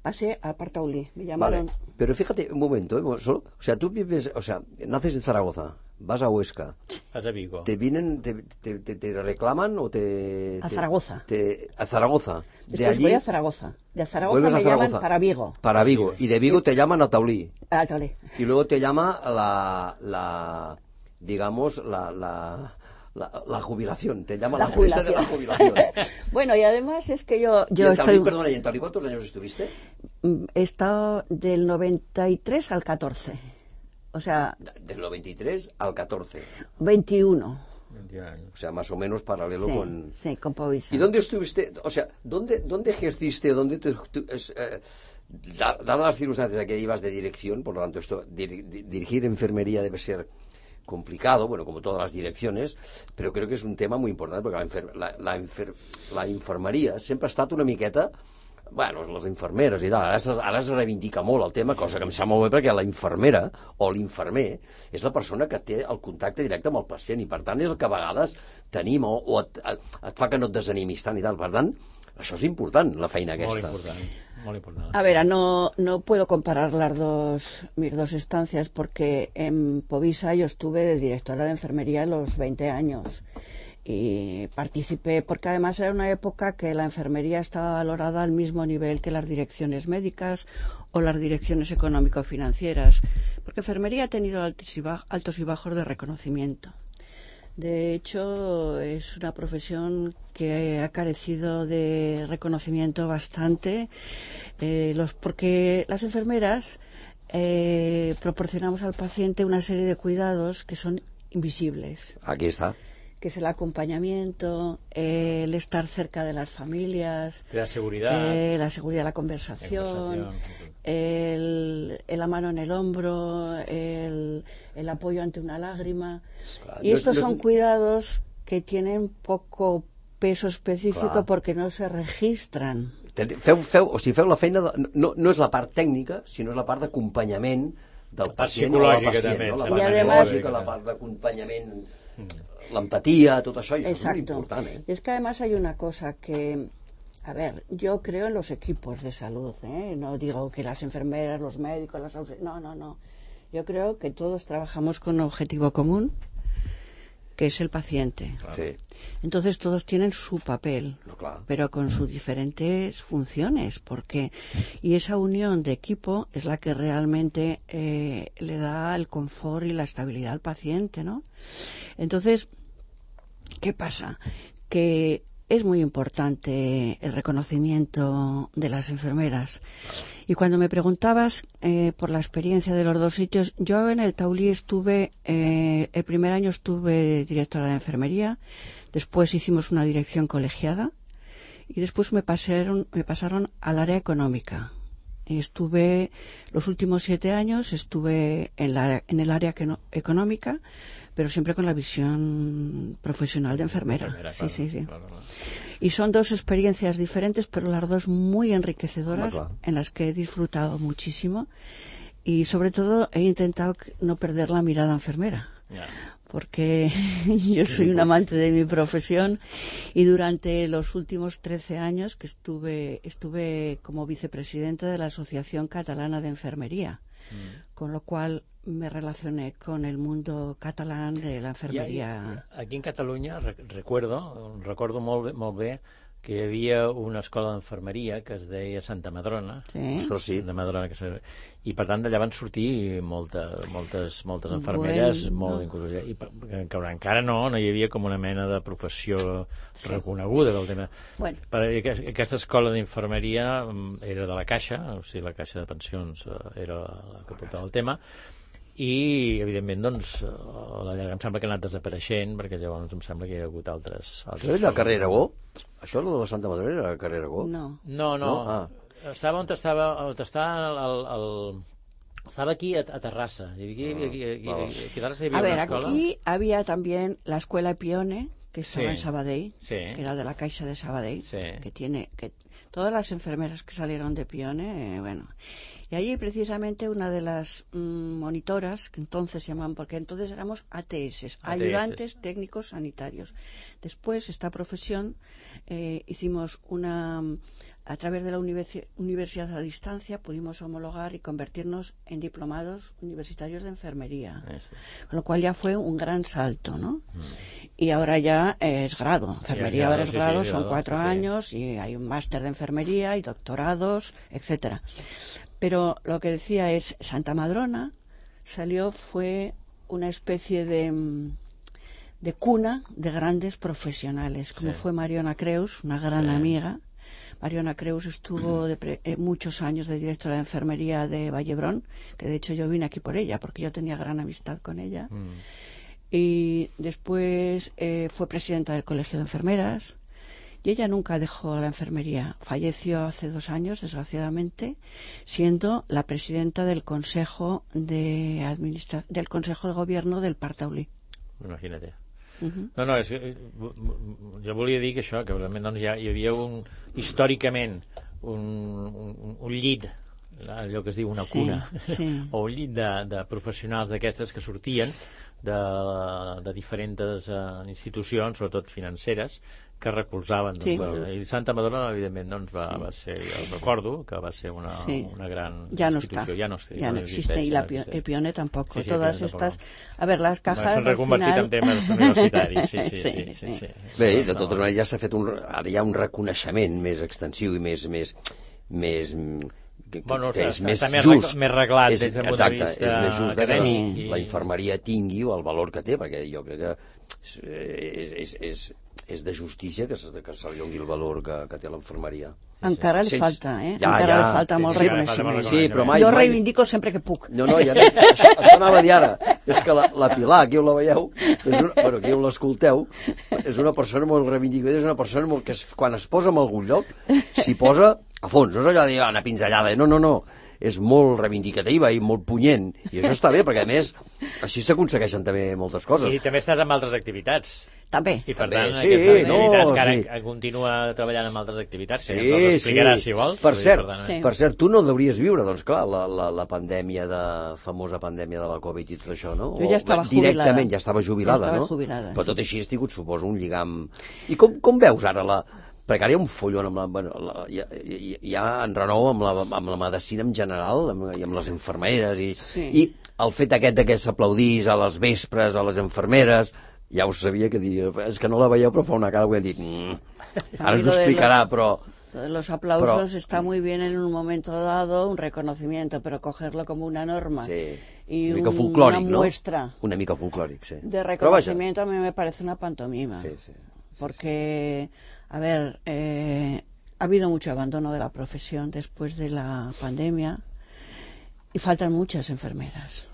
Pasé a Partaulí, me llamaron. Vale, pero fíjate, un momento, ¿eh? Solo, o sea, tú vives, o sea, naces en Zaragoza, vas a Huesca. Vas a Vigo. ¿Te vienen, te, te, te, te reclaman o te... A te, Zaragoza. Te, a Zaragoza. Después de allí... voy a Zaragoza. De Zaragoza me Zaragoza. llaman para Vigo. Para Vigo. Y de Vigo te llaman a Taulí. A Taulí. Y luego te llama la, la digamos, la... la La, la jubilación, te llama la, la jubilación. de la jubilación. Bueno, y además es que yo, yo ¿Y en estoy... Taulí, perdona, ¿y en Taulí cuántos años estuviste? He estado del noventa y tres al catorce. O sea... Del noventa y tres al catorce. veintiuno. O sea, más o menos paralelo sí, con... Sí, con Povisa. ¿Y dónde estuviste? O sea, ¿dónde, dónde ejerciste? ¿Dónde te, tú, es, eh, dadas las circunstancias a que ibas de dirección, por lo tanto, esto, dir, dirigir enfermería debe ser complicado, bueno, como todas las direcciones, però crec que és un tema molt important, perquè la, infer la, la, infer la infermeria sempre ha estat una miqueta, bueno, les infermeres i tal, ara, ara es reivindica molt el tema, cosa que em sap molt bé perquè la infermera o l'infermer és la persona que té el contacte directe amb el pacient i per tant és el que a vegades tenim o, o et, et, et fa que no et desanimis tant i tal, per tant, això és important, la feina aquesta. Molt important. Muy importante. A ver, no, no puedo comparar las dos, mis dos estancias porque en Povisa yo estuve de directora de enfermería a los veinte años y participé porque además era una época que la enfermería estaba valorada al mismo nivel que las direcciones médicas o las direcciones económico-financieras, porque enfermería ha tenido altos y, bajos, altos y bajos de reconocimiento. De hecho, es una profesión que ha carecido de reconocimiento bastante, eh, los, porque las enfermeras eh, proporcionamos al paciente una serie de cuidados que son invisibles. Aquí está. Que es el acompañamiento, eh, el estar cerca de las familias, la seguridad, eh, la seguridad, la conversación, la conversación. El, el la mano en el hombro, el, el apoyo ante una lágrima. Claro, y estos yo, yo... son cuidados que tienen poco peso específico claro. porque no se registran. Feu, feu, o sigui, feu la feina, de, no, no és la part tècnica, sinó és la part d'acompanyament del pacient o la pacient. També, no? La part psicològica, la part d'acompanyament, l'empatia, tot això, i això és molt important. ¿eh? Y es que además hay una cosa que... A ver, yo creo en los equipos de salud, ¿eh? No digo que las enfermeras, los médicos, las auxiliares... No, no, no. Yo creo que todos trabajamos con un objetivo común, que es el paciente. Claro. Sí. Entonces todos tienen su papel, no, claro. pero con sus diferentes funciones, porque y esa unión de equipo es la que realmente eh, le da el confort y la estabilidad al paciente, ¿no? Entonces, ¿qué pasa? Que es muy importante el reconocimiento de las enfermeras. Y cuando me preguntabas eh, por la experiencia de los dos sitios, yo en el Taulí estuve, eh, el primer año estuve directora de enfermería, después hicimos una dirección colegiada y después me pasaron, me pasaron al área económica. Y estuve, los últimos siete años estuve en, la, en el área que no, económica, pero siempre con la visión profesional de enfermera. enfermera sí, claro, sí, sí. Claro, claro. Y son dos experiencias diferentes, pero las dos muy enriquecedoras, claro, claro. en las que he disfrutado muchísimo y sobre todo he intentado no perder la mirada enfermera. Yeah. Porque yo soy un amante de mi profesión y durante los últimos trece años que estuve, estuve como vicepresidenta de la Asociación Catalana de Enfermería, mm. con lo cual me relacioné con el mundo catalán de la enfermería. I, aquí en Catalunya recuerdo, recordo molt bé, molt bé que hi havia una escola d'enfermeria que es deia Santa Madrona, sí. sí. Santa Madrona que se... i per tant d'allà van sortir molta, moltes, moltes enfermeres, bueno, molt no. inclús, i per, que encara no, no hi havia com una mena de professió sí. reconeguda del tema. Bueno. Per, aquesta escola d'infermeria era de la Caixa, o sigui, la Caixa de Pensions era la que portava el tema, i evidentment doncs a la llarga em sembla que ha anat desapareixent perquè llavors em sembla que hi ha hagut altres, altres això és la carrer Aragó? Això de la Santa Madrona era la carrer Aragó? No, no, no. no? Ah. estava on estava, on estava el, el, estava aquí a, a Terrassa aquí, aquí, aquí, aquí, aquí a Terrassa hi havia a ver, una escola aquí había también la escuela Pione que estaba sí. en Sabadell, sí. que era de la Caixa de Sabadell, sí. que tiene que todas las enfermeras que salieron de Pione, eh, bueno. Y allí precisamente una de las mmm, monitoras, que entonces se llamaban, porque entonces éramos A T S, ayudantes técnicos sanitarios. Después, esta profesión, eh, hicimos una, a través de la universi- universidad a distancia, pudimos homologar y convertirnos en diplomados universitarios de enfermería. Este. Con lo cual ya fue un gran salto, ¿no? Mm. Y ahora ya es grado. Enfermería ahora es grado, sí, sí, son grado, cuatro sí, años sí. Y hay un máster de enfermería y doctorados, etcétera. Pero lo que decía es, Santa Madrona salió, fue una especie de, de cuna de grandes profesionales, como sí. fue Mariona Creus, una gran sí. amiga. Mariona Creus estuvo de pre, eh, muchos años de directora de enfermería de Vallebrón, que de hecho yo vine aquí por ella, porque yo tenía gran amistad con ella. Mm. Y después eh, fue presidenta del Colegio de Enfermeras. Y ella nunca dejó la enfermería. Falleció hace dos años, desgraciadamente, siendo la presidenta del Consejo de Administra- del Consejo de Gobierno del Parc Taulí. Imagina't. Uh-huh. No, no, és, jo volia dir que això, que realment doncs, ja hi havia un, històricament un, un, un llit, allò que es diu una cuna, sí, sí. o un llit de, de professionals d'aquestes que sortien de, de diferents uh, institucions, sobretot financeres, que recolzaven. Sí. Doncs, i Santa Madrona, evidentment, doncs, va, sí. va ser, jo recordo que va ser una, sí. una gran ya no institució. Está. Ya no, está, ya no, no existe. Y la no Epione tampoco. Sí, sí, Todas Epione estas... tampoco. A ver, las cajas s'han reconvertit final... en temes universitaris. Sí, sí, sí. sí, sí, sí, sí. Bé, de totes maneres ja s'ha fet un... Ara hi ha un reconeixement més extensiu i més... més, més que, bueno, que és més està just, més reglat és, des del punt exacte, de vista és més just que acadèmic la, la infermeria tingui el valor que té, perquè jo crec que és, és, és, és de justícia que, que se li doni el valor que, que té l'infermeria. Encara li falta, eh? Ja, Encara ja, li falta molt sí, reconeixement. Sí, però mai, jo mai... reivindico sempre que puc. No, no, ja més, això, això anava a dir ara. És que la, la Pilar, aquí on la veieu, és una, bueno, aquí on l'escolteu, és una persona molt reivindicada, és una persona molt que es, quan es posa en algun lloc, s'hi posa a fons. No és allò de dir, una pinzellada, no, no, no. És molt reivindicativa i molt punyent, i això està bé, perquè a més així s'aconsegueixen també moltes coses. I també estàs amb altres activitats. També. I per també, tant, sí, aquestes activitats no, que ara sí. continua treballant amb altres activitats, que sí, ja ens explicaràs, sí. si vols. Per cert, per, tant, sí. per cert, tu no hauries viure, doncs clar, la, la, la pandèmia de, famosa pandèmia de la Covid i tot això, no? Jo ja estava o, directament, jubilada. ja estava jubilada, ja estava no? Jubilada, però sí. tot així has tingut, suposo, un lligam... I com, com veus ara la... Perquè ara hi ha un follon amb la, bueno, la, hi, ha, hi ha en renou amb la, amb la medicina en general amb, i amb les infermeres i, sí. i el fet aquest que s'aplaudís a les vespres a les infermeres, ja ho sabia que diria, és que no la veieu però fa una cara que hem dit mmm, ara ens ho explicarà los, però los aplausos pero, está muy bien en un momento dado, un reconocimiento, pero cogerlo como una norma sí. y una, un, folclòric, una muestra ¿no? una mica folclòric, sí. de reconocimiento a mí me parece una pantomima sí, sí. porque a ver, eh, ha habido mucho abandono de la profesión después de la pandemia y faltan muchas enfermeras,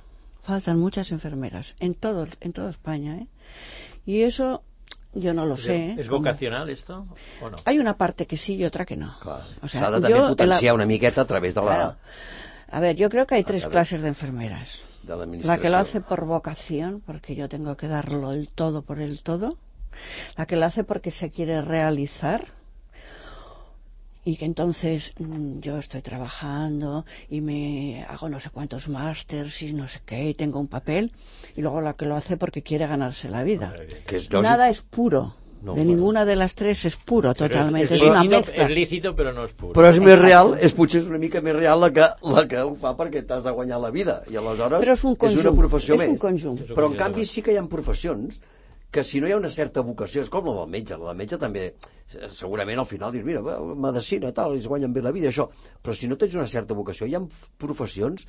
faltan muchas enfermeras en todo, en toda España, ¿eh? Y eso yo no lo sé. ¿Es vocacional esto o no? Hay una parte que sí y otra que no. Claro. O sea, s'ha de també potenciar la... una miqueta a través de la... Claro. A ver, yo creo que hay tres clases de enfermeras. De la, la que lo hace por vocación, porque yo tengo que darlo el todo por el todo. La que lo hace porque se quiere realizar y que entonces mmm, yo estoy trabajando y me hago no sé cuántos másters y no sé qué y tengo un papel, y luego la que lo hace porque quiere ganarse la vida. Que es nada es puro. No, de bueno. ninguna de les tres és puro, però totalment. És, és, és una lícito, mezcla. És lícito, però no és puro. Però és més real, és potser és una mica més real la que, la que ho fa perquè t'has de guanyar la vida. I aleshores però és, un conjunt, és una professió és més. Un conjunt. Però en canvi sí que hi ha professions que si no hi ha una certa vocació, és com la del metge, la del metge també, segurament al final dius, mira, medicina, tal, ells guanyen bé la vida, això, però si no tens una certa vocació, hi ha professions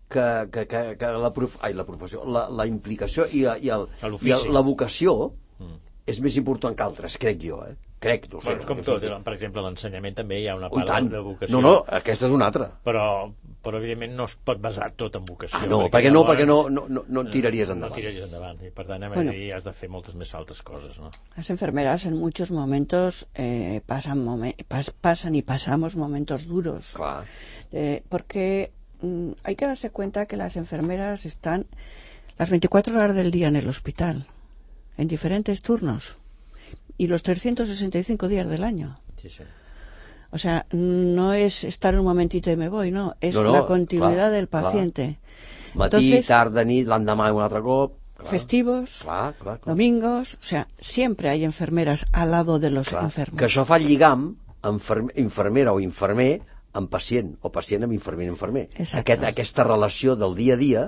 que, que, que, que la, prof... Ai, la professió, la, la implicació i, i, el, i el, la vocació mm. és més important que altres, crec jo, eh? Crec, no sé. Bueno, és com tot, per exemple, l'ensenyament també hi ha una part de vocació. No, no, aquesta és una altra. Però, però evidentment no es pot basar tot en vocació. Ah, no, perquè, perquè no, perquè no, no, no, no en tiraries endavant. No tiraries endavant, i per tant, bueno, ahí has de fer moltes més altres coses, ¿no? Las enfermeras en muchos momentos eh, pasan, momen pas pasan y pasamos momentos duros. Claro. Eh, porque mm, hay que darse cuenta que las enfermeras están las veinticuatro horas del día en el hospital, en diferentes turnos, y los trescientos sesenta y cinco días del año. Sí, sí. O sea, no es estar un momentito y me voy, no, es no, no, la continuidad clar, del paciente. Clar. Matí, Entonces, tarda, nit, l'endemà un altre cop. Clar. Festivos, clar, clar, clar. domingos, o sea, siempre hay enfermeras al lado de los clar. enfermos. Que això fa lligam infermera o infermer amb pacient, o pacient amb infermer i infermer. Aquest, aquesta relació del dia a dia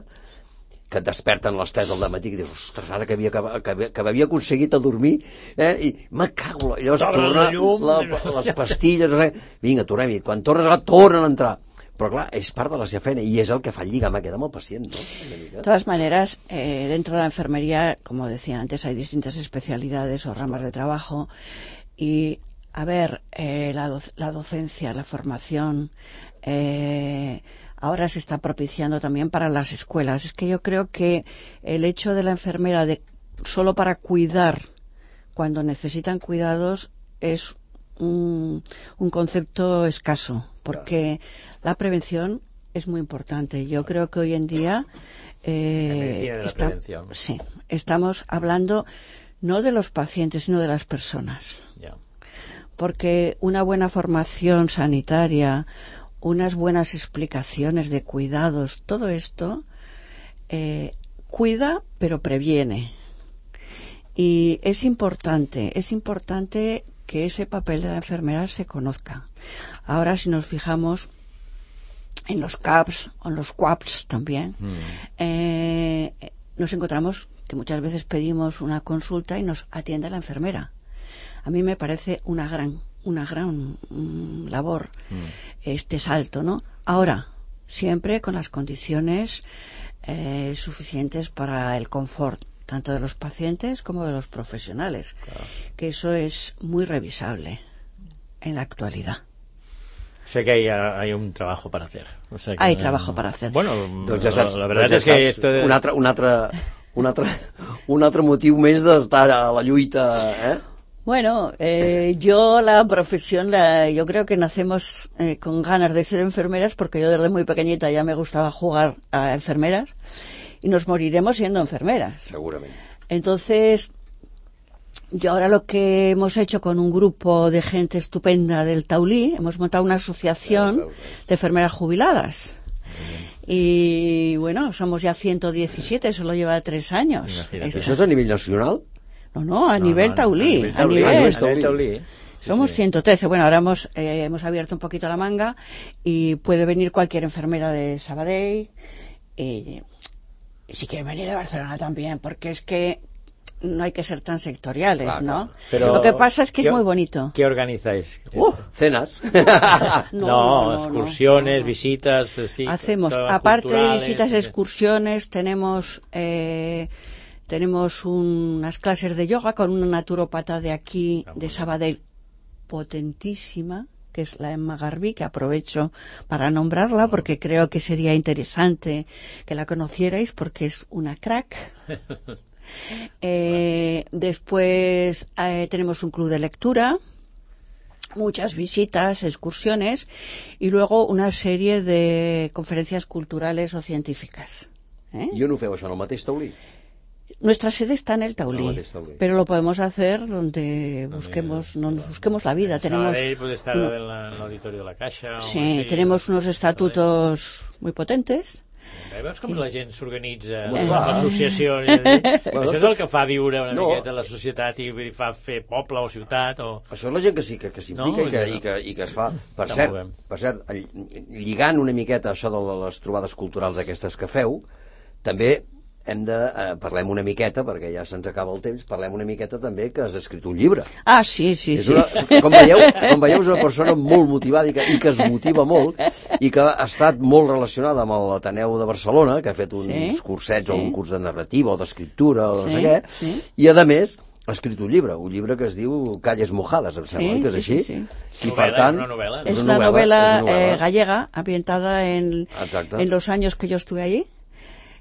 que et desperten les tres del matí i dius, ostres, ara que havia, que, que havia aconseguit a dormir, eh, i me cago, llavors torna la, les pastilles, no sé, vinga, tornem-hi, quan tornes a tornen a entrar. Pero claro, es parte de la seva feina y es el que fa el lligam aquest amb el pacient, ¿no? De todas maneras, eh, dentro de la enfermería, como decía antes, hay distintas especialidades o ramas de trabajo y, a ver, eh, la, do la docencia, la formación, eh, ahora se está propiciando también para las escuelas. Es que yo creo que el hecho de la enfermera de solo para cuidar cuando necesitan cuidados es un, un concepto escaso, porque la prevención es muy importante. Yo creo que hoy en día eh, está, sí, estamos hablando no de los pacientes, sino de las personas. Yeah. Porque una buena formación sanitaria, unas buenas explicaciones de cuidados, todo esto eh, cuida pero previene. Y es importante, es importante que ese papel de la enfermera se conozca. Ahora, si nos fijamos en los C A Ps o en los C U A Ps también, mm. eh, nos encontramos que muchas veces pedimos una consulta y nos atiende la enfermera. A mí me parece una gran, una gran mm, labor mm. este salto, ¿no? Ahora, siempre con las condiciones eh, suficientes para el confort, tanto de los pacientes como de los profesionales, claro. Que eso es muy revisable en la actualidad. O sea que hay, hay un trabajo para hacer. O sea que hay no... trabajo para hacer. Bueno, doncs ja saps, la verdad doncs ja ja es que... Esto de... Un altre, un, altre, un, altre, un altre motiu més d'estar a la lluita, eh? Bueno, eh, yo la profesión, la, yo creo que nacemos eh, con ganas de ser enfermeras, porque yo desde muy pequeñita ya me gustaba jugar a enfermeras, y nos moriremos siendo enfermeras. Seguramente. Entonces, yo ahora lo que hemos hecho con un grupo de gente estupenda del Taulí, hemos montado una asociación claro, claro, claro. de enfermeras jubiladas. Y bueno, somos ya ciento diecisiete, eso lo lleva tres años. ¿Eso es a nivel nacional? No, no, a no, nivel no, Taulí. A nivel, a nivel, a nivel Taulí. Taulí. Sí, somos sí. ciento trece. Bueno, ahora hemos, eh, hemos abierto un poquito la manga y puede venir cualquier enfermera de Sabadell. Y, y si quiere venir de Barcelona también, porque es que no hay que ser tan sectoriales, claro, ¿no? Pero lo que pasa es que es muy bonito. ¿Qué organizáis? Uh, cenas. no, no, no, excursiones, no, no. visitas. Sí, hacemos, aparte de visitas, excursiones, tenemos eh, tenemos un, unas clases de yoga con una naturópata de aquí, de Sabadell, potentísima, que es la Emma Garbí, que aprovecho para nombrarla porque creo que sería interesante que la conocierais porque es una crack. Eh, después eh, tenemos un club de lectura, muchas visitas, excursiones y luego una serie de conferencias culturales o científicas. ¿Eh? I on ho feu això, en el mateix Taulí? Nuestra sede está en el Taulí, el Taulí, pero lo podemos hacer donde busquemos, no nos busquemos la vida. Tenemos Sabadell puede estar uno, en, la, en el auditorio de la Caixa. Sí, así, tenemos unos estatutos muy potentes. Veus com la gent s'organitza, l'associació, això és el que fa viure una no. miqueta la societat i fa fer poble o ciutat o... Això és la gent que sí, que, que s'implica no, i, que, no. i, que, i que es fa. Per cert, per cert, lligant una miqueta això de les trobades culturals aquestes que feu, també hem de, eh, parlem una miqueta, perquè ja se'ns acaba el temps, parlem una miqueta també que has escrit un llibre. Ah, sí, sí, és una, sí. Com veieu, com veieu, és una persona molt motivada i que, i que es motiva molt i que ha estat molt relacionada amb l'Ateneu de Barcelona, que ha fet uns sí, cursets sí. o un curs de narrativa o d'escriptura o no sí, sé què, sí. i a més ha escrit un llibre, un llibre que es diu Calles mojades, em sembla, sí, que és així. Sí, sí, sí. I per tant... És una novel·la. És una novel·la eh, gallega, ambientada en, en los años que yo estuve allí.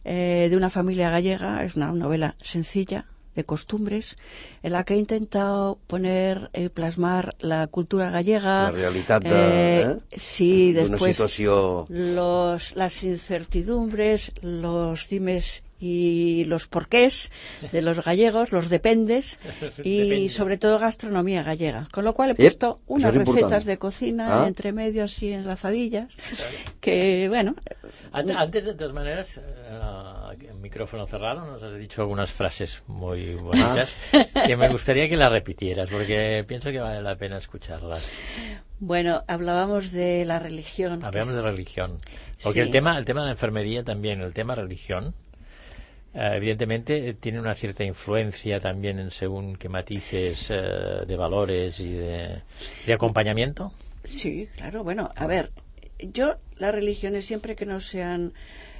Eh, de una familia gallega, es una novela sencilla, de costumbres, en la que he intentado poner, eh, plasmar la cultura gallega. La realitat de, eh, eh? Sí, d'una después situació... los, las incertidumbres, los dimes y los porqués de los gallegos, los dependes, y Depende. sobre todo gastronomía gallega. Con lo cual he puesto Ep, unas recetas important. de cocina, ah. entre medio así enlazadillas, que bueno... Antes, de todas maneras, uh, micrófono cerrado, nos has dicho algunas frases muy bonitas ah. que me gustaría que las repitieras, porque pienso que vale la pena escucharlas. Bueno, hablábamos de la religión. Hablamos es... de religión. Porque sí. el tema el tema de la enfermería también, el tema religión, Uh, evidentemente tiene una cierta influencia también en según qué matices uh, de valores y de, de acompañamiento. Sí, claro. Bueno, a ver, yo las religiones siempre que no sean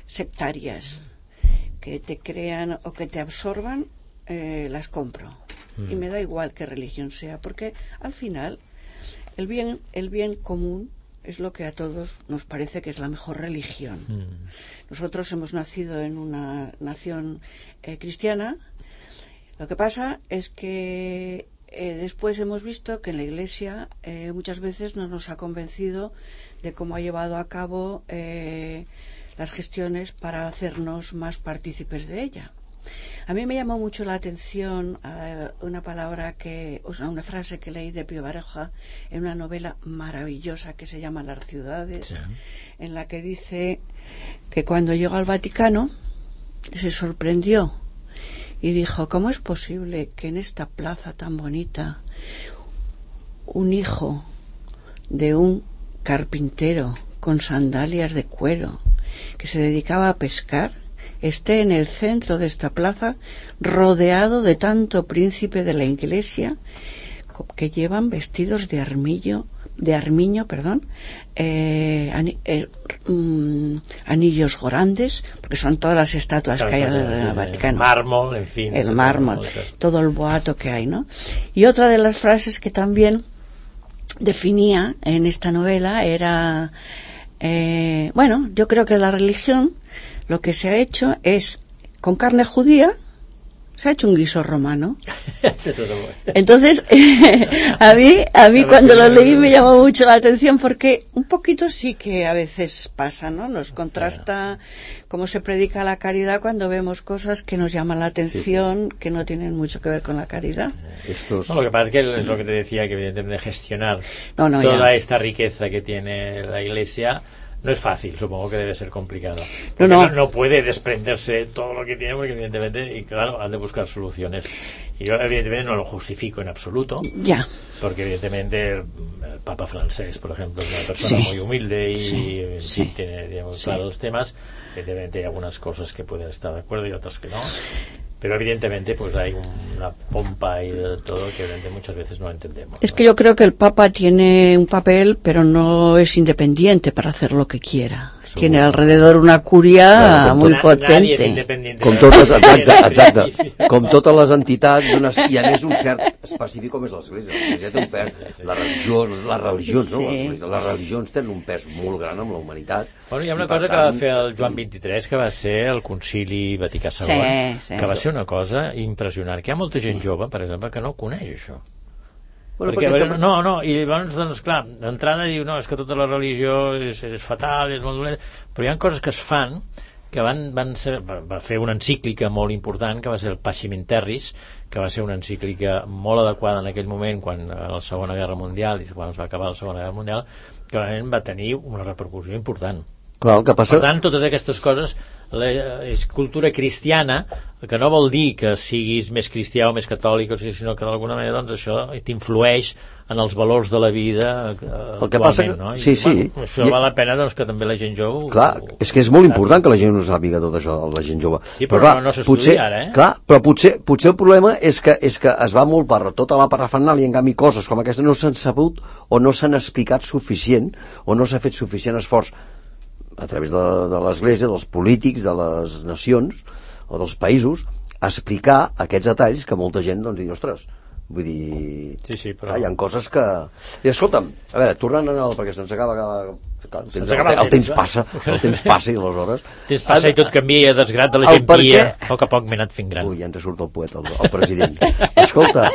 sectarias, que te crean o que te absorban, eh, las compro. Mm. Y me da igual qué religión sea, porque al final el bien, el bien común es lo que a todos nos parece que es la mejor religión. Mm. Nosotros hemos nacido en una nación eh, cristiana. Lo que pasa es que eh, después hemos visto que en la Iglesia eh, muchas veces no nos ha convencido de cómo ha llevado a cabo eh, las gestiones para hacernos más partícipes de ella. A mí me llamó mucho la atención uh, una palabra que, o sea, una frase que leí de Pío Baroja en una novela maravillosa que se llama Las ciudades, sí. en la que dice que cuando llegó al Vaticano se sorprendió y dijo: ¿cómo es posible que en esta plaza tan bonita un hijo de un carpintero con sandalias de cuero que se dedicaba a pescar esté en el centro de esta plaza rodeado de tanto príncipe de la Iglesia que llevan vestidos de armillo, de armiño, perdón, eh, ani, eh, um, anillos grandes, porque son todas las estatuas claro, que hay en el, el Vaticano. El mármol, en fin. El mármol, todo el boato que hay, ¿no? Y otra de las frases que también definía en esta novela era, eh, bueno, yo creo que la religión lo que se ha hecho es, con carne judía, se ha hecho un guiso romano. Entonces, a mí, a mí cuando lo leí me llamó mucho la atención, porque un poquito sí que a veces pasa, ¿no? Nos contrasta cómo se predica la caridad cuando vemos cosas que nos llaman la atención, sí, sí. que no tienen mucho que ver con la caridad. Estos... No, lo que pasa es que es lo que te decía, que evidentemente gestionar no, no, toda ya. esta riqueza que tiene la Iglesia no es fácil, supongo que debe ser complicado. No, no. no, no puede desprenderse todo lo que tiene, porque evidentemente, y claro, han de buscar soluciones. Y yo evidentemente no lo justifico en absoluto, ya. porque evidentemente el, el Papa francés, por ejemplo, es una persona sí. muy humilde y sí. en sí. fin, tiene digamos, sí. claros los temas. Evidentemente hay algunas cosas que pueden estar de acuerdo y otras que no. Pero evidentemente pues hay una pompa y de todo que evidentemente muchas veces no entendemos. Es ¿no? que yo creo que el Papa tiene un papel, pero no es independiente para hacer lo que quiera. Seguro. Tiene alrededor una curia claro, muy tot, potente. Nadie és independiente. Com totes, exacte, exacte. Com totes les entitats, unes, i a més un cert específic com és l'Església. L'Església té un pes. La religió, les religions, no? Sí. Les, les religions tenen un pes molt gran amb la humanitat. Bueno, hi ha una cosa tant... que va fer el Joan vint-i-tres, que va ser el Concili Vaticà segon, sí, sí. que va ser una cosa impressionant, que hi ha molta gent jove, per exemple, que no coneix això. Bueno, perquè, perquè també... no, no, i llavors, doncs, clar, d'entrada diu, no, és que tota la religió és, és fatal, és molt dolent, però hi ha coses que es fan que van, van ser, va fer una encíclica molt important, que va ser el Pacem in Terris, que va ser una encíclica molt adequada en aquell moment, quan a la Segona Guerra Mundial, i quan es va acabar la Segona Guerra Mundial, que realment va tenir una repercussió important. Clar, que passa... Per tant, totes aquestes coses, la, és cultura cristiana, que no vol dir que siguis més cristià o més catòlic, o sigui, sinó que d'alguna manera doncs, això t'influeix en els valors de la vida eh, el que passa que... no? I, sí, sí. Bueno, això I... val la pena doncs, que també la gent jove... Clar, ho... és que és molt important que la gent no sàpiga tot això, la gent jove. Sí, però, però clar, no, no s'estudia ara, eh? Clar, però potser, potser el problema és que, és que es va molt per tota la parrafernàlia, i en canvi coses com aquesta no s'han sabut o no s'han explicat suficient o no s'ha fet suficient esforç a través de, de l'Església, dels polítics, de les nacions o dels països, explicar aquests detalls que molta gent doncs, diu, ostres, Vull dir... Sí, sí, però... Clar, hi ha coses que... I escolta'm, a veure, tornant a el... perquè se'ns acaba... El temps, el, el temps passa, el temps passa i aleshores... El temps passa i tot canvia, i desgrat de la gent guia. A poc a poc m'he anat fent gran. Ui, ja ens surt el poeta, el, el president. Escolta,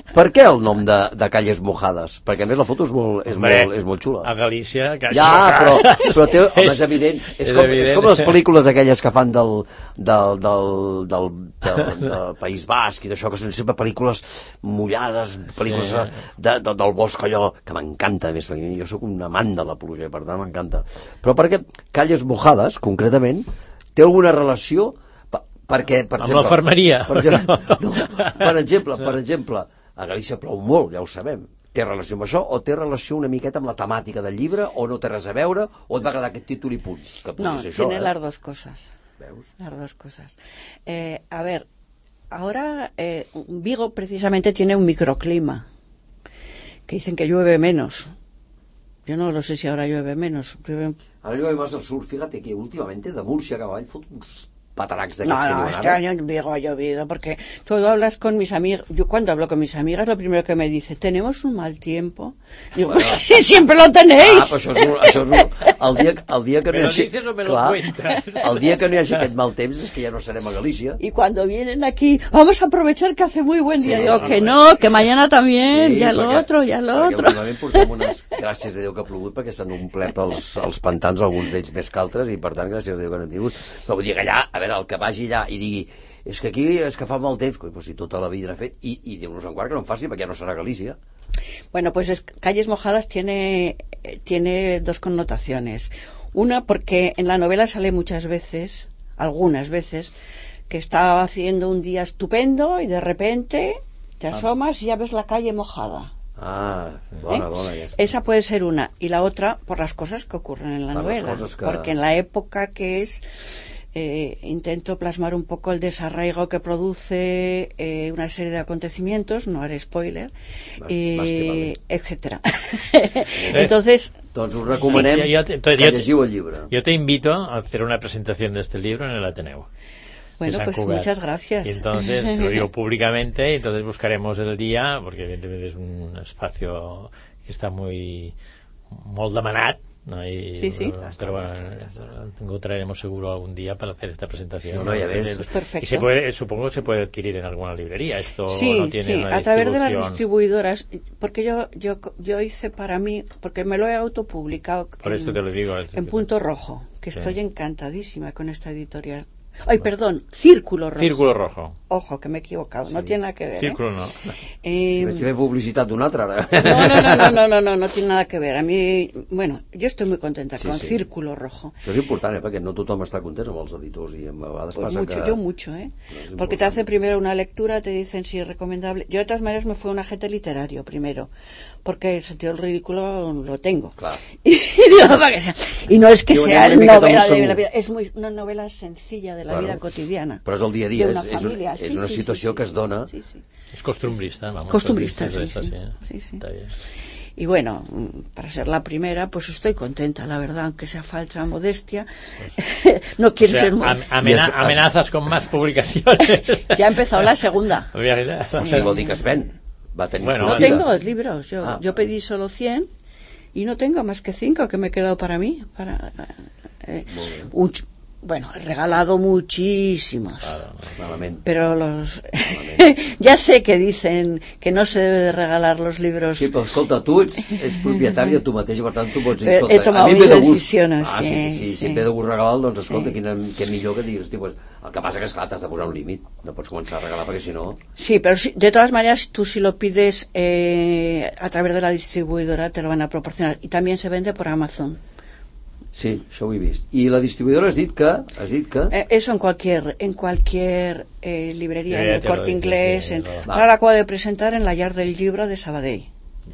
per què el nom de, de Calles Mojades? Perquè a més la foto és molt, és Hombre, molt, és molt xula. A Galícia... Ja, però, però té, home, és evident. És, és, com, evident. És com les pel·lícules aquelles que fan del, del, del, del, del, del País Basc i d'això, que són sempre pel·lícules mullades, pel·lícules sí. de, de, del bosc, allò, que m'encanta, més, perquè jo sóc un amant de la pluja, per tant m'encanta. Però perquè Calles Mojades, concretament, té alguna relació... Perquè, per amb exemple, l'enfermeria. Per exemple, no, per exemple, per exemple, a Galícia plou molt, ja ho sabem. Té relació amb això o té relació una miqueta amb la temàtica del llibre o no té res a veure o et va agradar aquest títol i punt? Que no, ser això, tiene eh? las dos cosas. ¿Veus? Las dos cosas. Eh, a ver, ahora eh, Vigo precisamente tiene un microclima que dicen que llueve menos. Yo no lo sé si ahora llueve menos. Llueve... Ahora llueve más al sur. Fíjate que últimamente de Murcia a avall fot uns pataracs no, no, este año en Vigo ha llovido porque tú hablas con mis amigas, yo cuando hablo con mis amigas lo primero que me dice, tenemos un mal tiempo, digo, bueno, pues sí, siempre lo tenéis. Ah, però això és, un, això és un, el, dia, el dia que no hi hagi clar, el dia que no hi hagi aquest mal temps és que ja no serem a Galícia y cuando vienen aquí vamos a aprovechar que hace muy buen día, sí, digo sí, que sí. No, que mañana también, sí, ya lo perquè, otro, ya lo otro últimament portem unes, gràcies a Déu que ha plogut perquè s'han omplert els, els pantans, alguns d'ells més que altres i per tant gràcies a Déu que no han tingut, però vull dir que allà, a veure, el que vagi allà i digui, és que aquí és que fa mal temps, pues si tota la vida n'ha fet, i, i Déu-nos en guard que no en faci perquè ja no serà Galícia. Bueno, pues es, Calles Mojadas tiene, tiene dos connotaciones. Una, porque en la novela sale muchas veces, algunas veces, que está haciendo un día estupendo y de repente te asomas y ya ves la calle mojada. Ah, bona, ¿Eh? bona, ja està. Esa puede ser una. Y la otra, por las cosas que ocurren en la per novela. Que... Porque en la época que es... Eh, intento plasmar un poco el desarraigo que produce eh, una serie de acontecimientos, no haré spoiler, más, eh, más vale. etcétera. Entonces, doncs us recomanem sí, yo te, que yo llegiu el llibre. Yo te invito a hacer una presentación de este libro en el Ateneu. Bueno, pues Cugat. Muchas gracias. Y entonces, te lo digo públicamente, y entonces buscaremos el día, porque evidentemente es un espacio que está muy molt demanat, ¿no? Y, sí, sí. Pero, pero bueno, encontraremos seguro algún día para hacer esta presentación. No, no, ya ves. Pues perfecto. Y se puede, supongo que se puede adquirir en alguna librería. Esto sí, no tiene sí, una a través de las distribuidoras, porque yo, yo, yo hice para mí, porque me lo he autopublicado. Por en, esto te lo digo. En Punto Rojo, que sí. Estoy encantadísima con esta editorial. Ay, perdón, Círculo Rojo. Círculo Rojo. Ojo, que me he equivocado, sí. No tiene nada que ver. Círculo ¿eh? no. Eh, si ve publicitat d'un altre, ara. No, no, no, no, no, no, no, no tiene nada que ver. A mí, bueno, yo estoy muy contenta sí, con sí. Círculo Rojo. Això és important, eh, perquè no tothom està content amb els editors i a vegades pues passa mucho, que... Yo mucho, ¿eh? No porque te hace primero una lectura, te dicen si es recomendable. Yo de todas maneras me fui a un agente literario primero, porque el sentido del ridículo lo tengo. Claro. Y, digo, para que sea. Y no es que sea novela de la vida, es muy, una novela sencilla de la claro. vida cotidiana. Però és el dia a dia, és, és, una, és sí, una sí, situació sí, que es dona. Sí, sí. Es costumbrista, vamos. Costumbrista, sí, esta, sí. sí. sí, sí. Está bien. Y bueno, para ser la primera, pues estoy contenta, la verdad, aunque sea falsa modestia. Pues, no quiero o sea, ser muy... Amena amenazas con más publicaciones. Ya ha empezado la segunda. O sigui, vol dir que es ven. Va tenir bueno, no tengo libros, yo, ah, yo pedí solo cien y no tengo más que cinco que me he quedado para mí. Para, eh, un, bueno, he regalado muchísimos, claro, pero los ya sé que dicen que no se debe de regalar los libros. Sí, però escolta, tu ets, ets propietària tu mateix, per tant tu pots dir, escolta, he tomado a mi ve de gust, decisiones, ah, sí, sí, sí, sí. si em ve de gust regalar, doncs escolta, sí. quina, què millor que diguis, hosti, pues, el que passa que esclar, t'has de posar un límit, no pots començar a regalar perquè si no... Sí, pero si, de todas maneras tú si lo pides eh, a través de la distribuidora te lo van a proporcionar y también se vende por Amazon. Sí, això ho he vist. I la distribuidora has dit que... Has dit que... Eh, eso en cualquier en cualquier eh, librería, eh, en el Corte Inglés. En, no. Ahora la acabo de presentar en la Llar del Libro de Sabadell.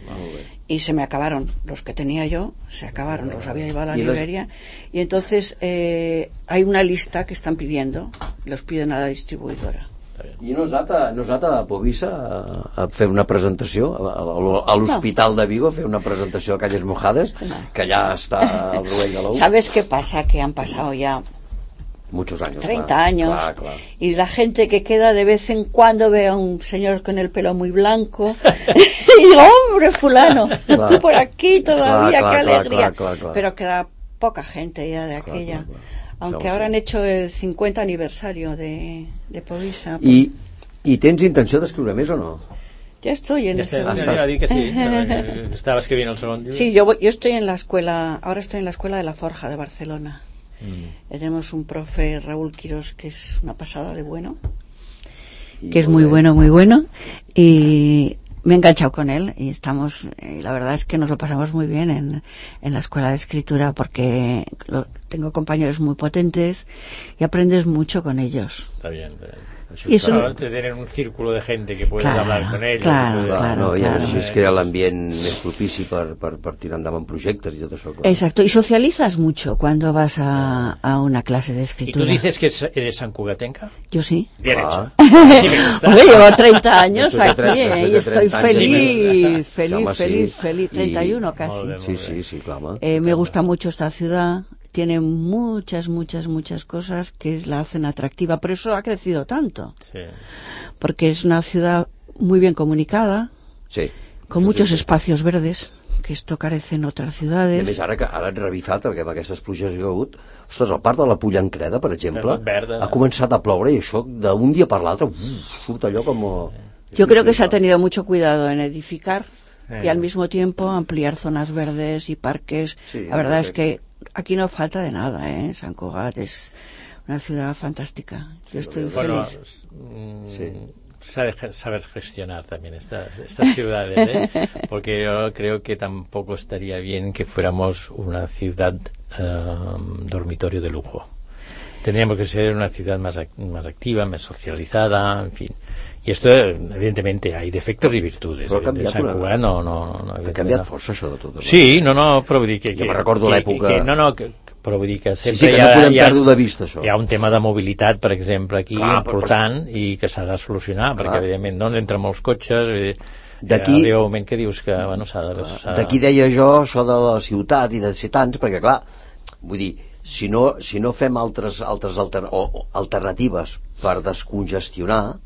Vale. Y se me acabaron los que tenía yo, se acabaron, los había llevado a la librería. Y entonces eh, hay una lista que están pidiendo, los piden a la distribuidora. I no has anat a, no has anat a Povisa a, a fer una presentació a, a, a l'Hospital no. de Vigo, a fer una presentació a Calles Mojades, no. que allà està el rovell de l'ou? ¿Sabes qué pasa? Que han pasado ya Muchos años. treinta claro, años. Claro, claro. Y la gente que queda de vez en cuando ve a un señor con el pelo muy blanco y digo, hombre, fulano, Claro. tú por aquí todavía, Claro, qué claro, alegría. claro, claro, claro. Pero queda poca gente ya de aquella. Claro, claro, claro. Aunque Sí, ahora sí. han hecho el cincuenta aniversario de, de Povisa. I, I tens intenció d'escriure més o no? Ya estoy en Ja el està, segundo. ja dir que sí, que estava escrivint el segon llibre. Sí, yo, voy- yo estoy en la escuela, ahora estoy en la escuela de la Forja de Barcelona. Mm. Tenemos un profe, Raúl Quirós, que es una pasada de bueno, Y que es muy bueno, muy bueno, y me he enganchado con él y estamos, y la verdad es que nos lo pasamos muy bien en, en la escuela de escritura porque lo- tengo compañeros muy potentes y aprendes mucho con ellos. Está bien, está bien. Això Y es un- Ahora te tienen un círculo de gente que puedes Claro, hablar con ellos. claro, que puedes- claro, no, i claro. així es crea l'ambient més propici per, per, per tirar endavant projectes i tot això. Clar. Exacto, y socializas mucho cuando vas a, a una clase de ¿Y escritura. tú dices que eres sancugatenca? Yo sí. Bien Ah. hecho. Así me gusta. Hombre, llevo treinta años Después de aquí treinta, eh, después y de estoy treinta años. feliz, Sí, feliz, home, sí. feliz, feliz, I- treinta y uno casi. Molt bé, Sí, molt sí, bé. sí, clar, home. Eh, me gusta mucho esta ciudad, tiene muchas, muchas, muchas cosas que la hacen atractiva, por eso ha crecido tanto, Sí. porque es una ciudad muy bien comunicada, Sí. con Això muchos sí. espacios verdes, que esto carece en otras I a més, ciudades. ara, que, ara he revifat, perquè amb aquestes pluges que hi ha hagut, ostres, el parc de la Pollancreda, per exemple, Està tot verd, eh? ha començat a ploure i això d'un dia per l'altre uf, surt allò com... Yo creo que se ha tenido mucho cuidado en edificar y Eh. al mismo tiempo ampliar zonas verdes y parques. Sí, la verdad es perfecto. que aquí no falta de nada, ¿eh? Sant Cugat es una ciudad fantástica. Yo estoy Bueno, feliz. mm, Sí. sabe ge- saber gestionar también estas, estas ciudades, ¿eh? Porque yo creo que tampoco estaría bien que fuéramos una ciudad eh, dormitorio de lujo. Tendríamos que ser una ciudad más, ac- más activa, más socializada, en fin. Y esto, evidentemente, hay defectos y virtudes. Però ha De canviat Sant una- Cugat no, no, no, Ha evidentment canviat no. força això de tot. Sí, no, no, però vull dir que... Jo que me'n recordo que- l'època- que- No, no, que, però vull dir que Sí, sempre sí, que hi ha, no podem hi ha, perdre de vista, això. hi ha un tema de mobilitat, per exemple, aquí, Clar, però- important, i que s'ha de solucionar, perquè, Clar. evidentment, doncs, entren molts cotxes, i D'aquí- arriba un moment que dius que, bueno, s'ha de... s'ha de- D'aquí deia jo això de la ciutat i de ser tants, perquè clar, vull dir, si no, si no fem altres, altres alter, o, o alternatives per descongestionar,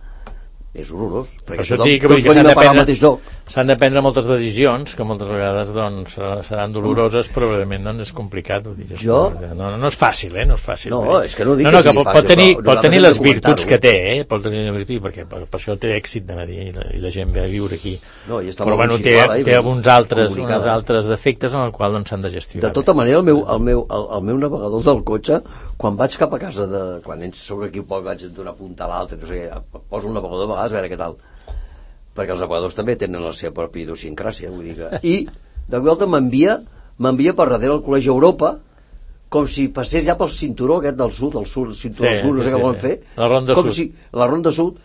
és horrorós, Per perquè això et tothom, dic que, vull tots dir que s'han venim de a parar al prendre, mateix lloc. s'han de prendre moltes decisions, que moltes vegades doncs, seran doloroses, però realment doncs, és complicat. Vull dir, Jo? no, no és fàcil, eh? No és fàcil. No, vull dir. és que no dic no, que no, que sigui pot, fàcil, pot tenir, però pot nosaltres tenir hem de les virtuds comentar-ho. que té, eh? Pot tenir les virtuds, perquè per, per això té èxit, de dir, i la, i la gent ve a viure aquí. No, i està però molt bueno, ben té, situada i té ben alguns altres, comunicada. uns altres defectes en els quals doncs, s'han de gestionar. De tota manera, el meu, el, meu, el, el meu navegador del cotxe, quan vaig cap a casa, de, quan ens soc aquí un poc, vaig d'una punta a l'altra, no sé què, poso un navegador a vegades a veure què tal. Perquè els navegadors també tenen la seva pròpia idiosincràsia, vull dir que... I, de volta, m'envia m'envia per darrere el Col·legi Europa, com si passés ja pel cinturó aquest del sud, el sud, el cinturó Sí, del sud, no sí, sé què sí, volen sí. fer. La Ronda com Sud. Si, la Ronda Sud,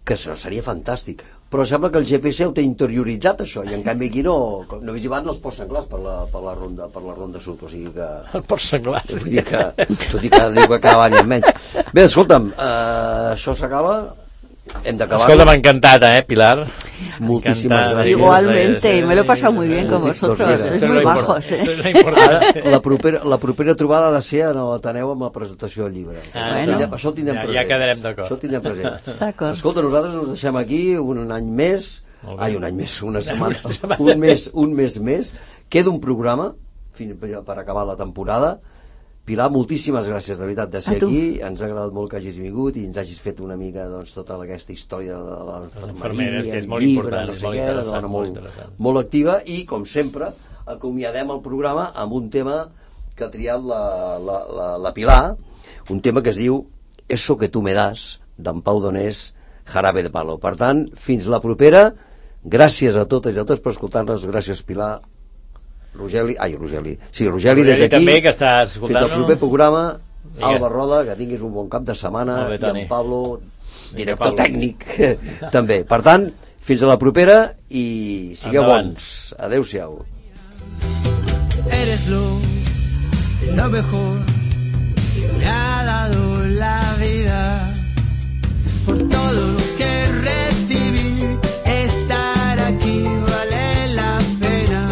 que això seria fantàstic. Però sembla que el G P S ho té interioritzat, això, i en canvi aquí no, no vés van els ports senglars per la, per la, ronda, per la Ronda Sud, o sigui que... El port senglars. Vull dir que, tot i que diu que cada any en menys. Bé, escolta'm, eh, això s'acaba, hem d'acabar. Escolta, m'ha encantat, eh, Pilar? Moltíssimes Encantada. gràcies. Igualmente, y me lo he pasado muy bien con Pues vosotros, mira, sois esto es muy lo import- bajos, esto ¿eh? es lo importante. Ara, la propera, la propera trobada ha de ser en l'Ateneu amb la presentació del llibre. Ah, això, bueno. tindrem, això ho tindrem Ja- ja present. quedarem d'acord. Això ho tindrem present. D'acord. Escolta, nosaltres us deixem aquí un any més, Molt bé. ai, un any més, una setmana, Una setmana un mes, un mes més. Queda un programa fins per acabar la temporada. Pilar, moltíssimes gràcies de veritat de ser A tu. aquí, ens ha agradat molt que hagis vingut i ens hagis fet una mica doncs, tota aquesta història de la infermeres, que és el molt llibre, important, no és sé molt què, una interessant, dona molt molt, interessant. molt activa i, com sempre, acomiadem el programa amb un tema que ha triat la, la, la, la Pilar, un tema que es diu Eso que tu me das, d'en Pau Donés, Jarabe de Palo. Per tant, fins la propera, gràcies a totes i a tots per escoltar-nos, gràcies Pilar, Rogeli, ai Rogeli, sí, Rogeli, Rogeli des d'aquí, també, que estàs fins escoltant-nos. al proper programa, Vinga. Alba Roda, que tinguis un bon cap de setmana, Molt bé, i Toni. en Pablo, director Pablo. tècnic, també. Per tant, fins a la propera i sigueu Endavant. bons. Adéu-siau. Eres lo, lo mejor que me ha dado la vida. Por todo lo que recibí, estar aquí vale la pena.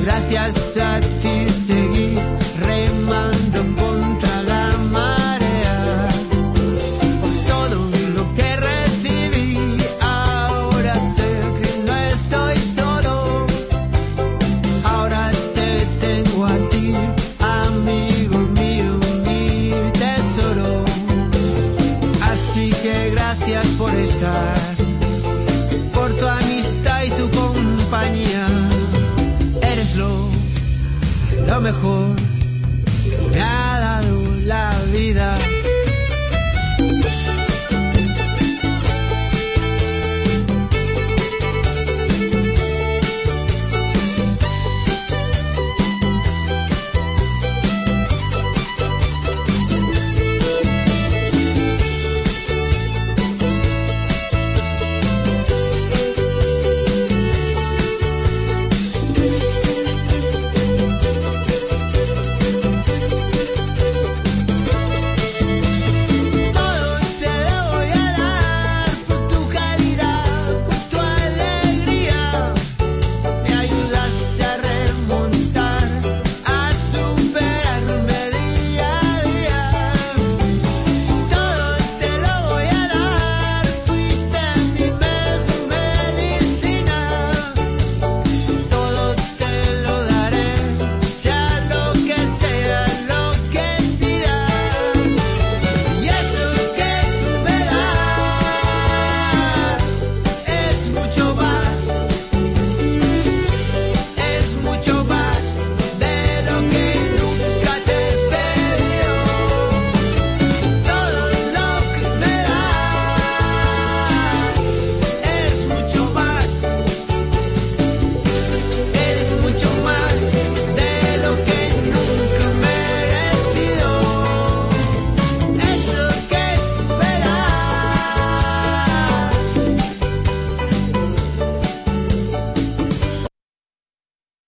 Gracias a ti seguí remando contra la mar. estar por tu amistad y tu compañía. Eres lo, lo mejor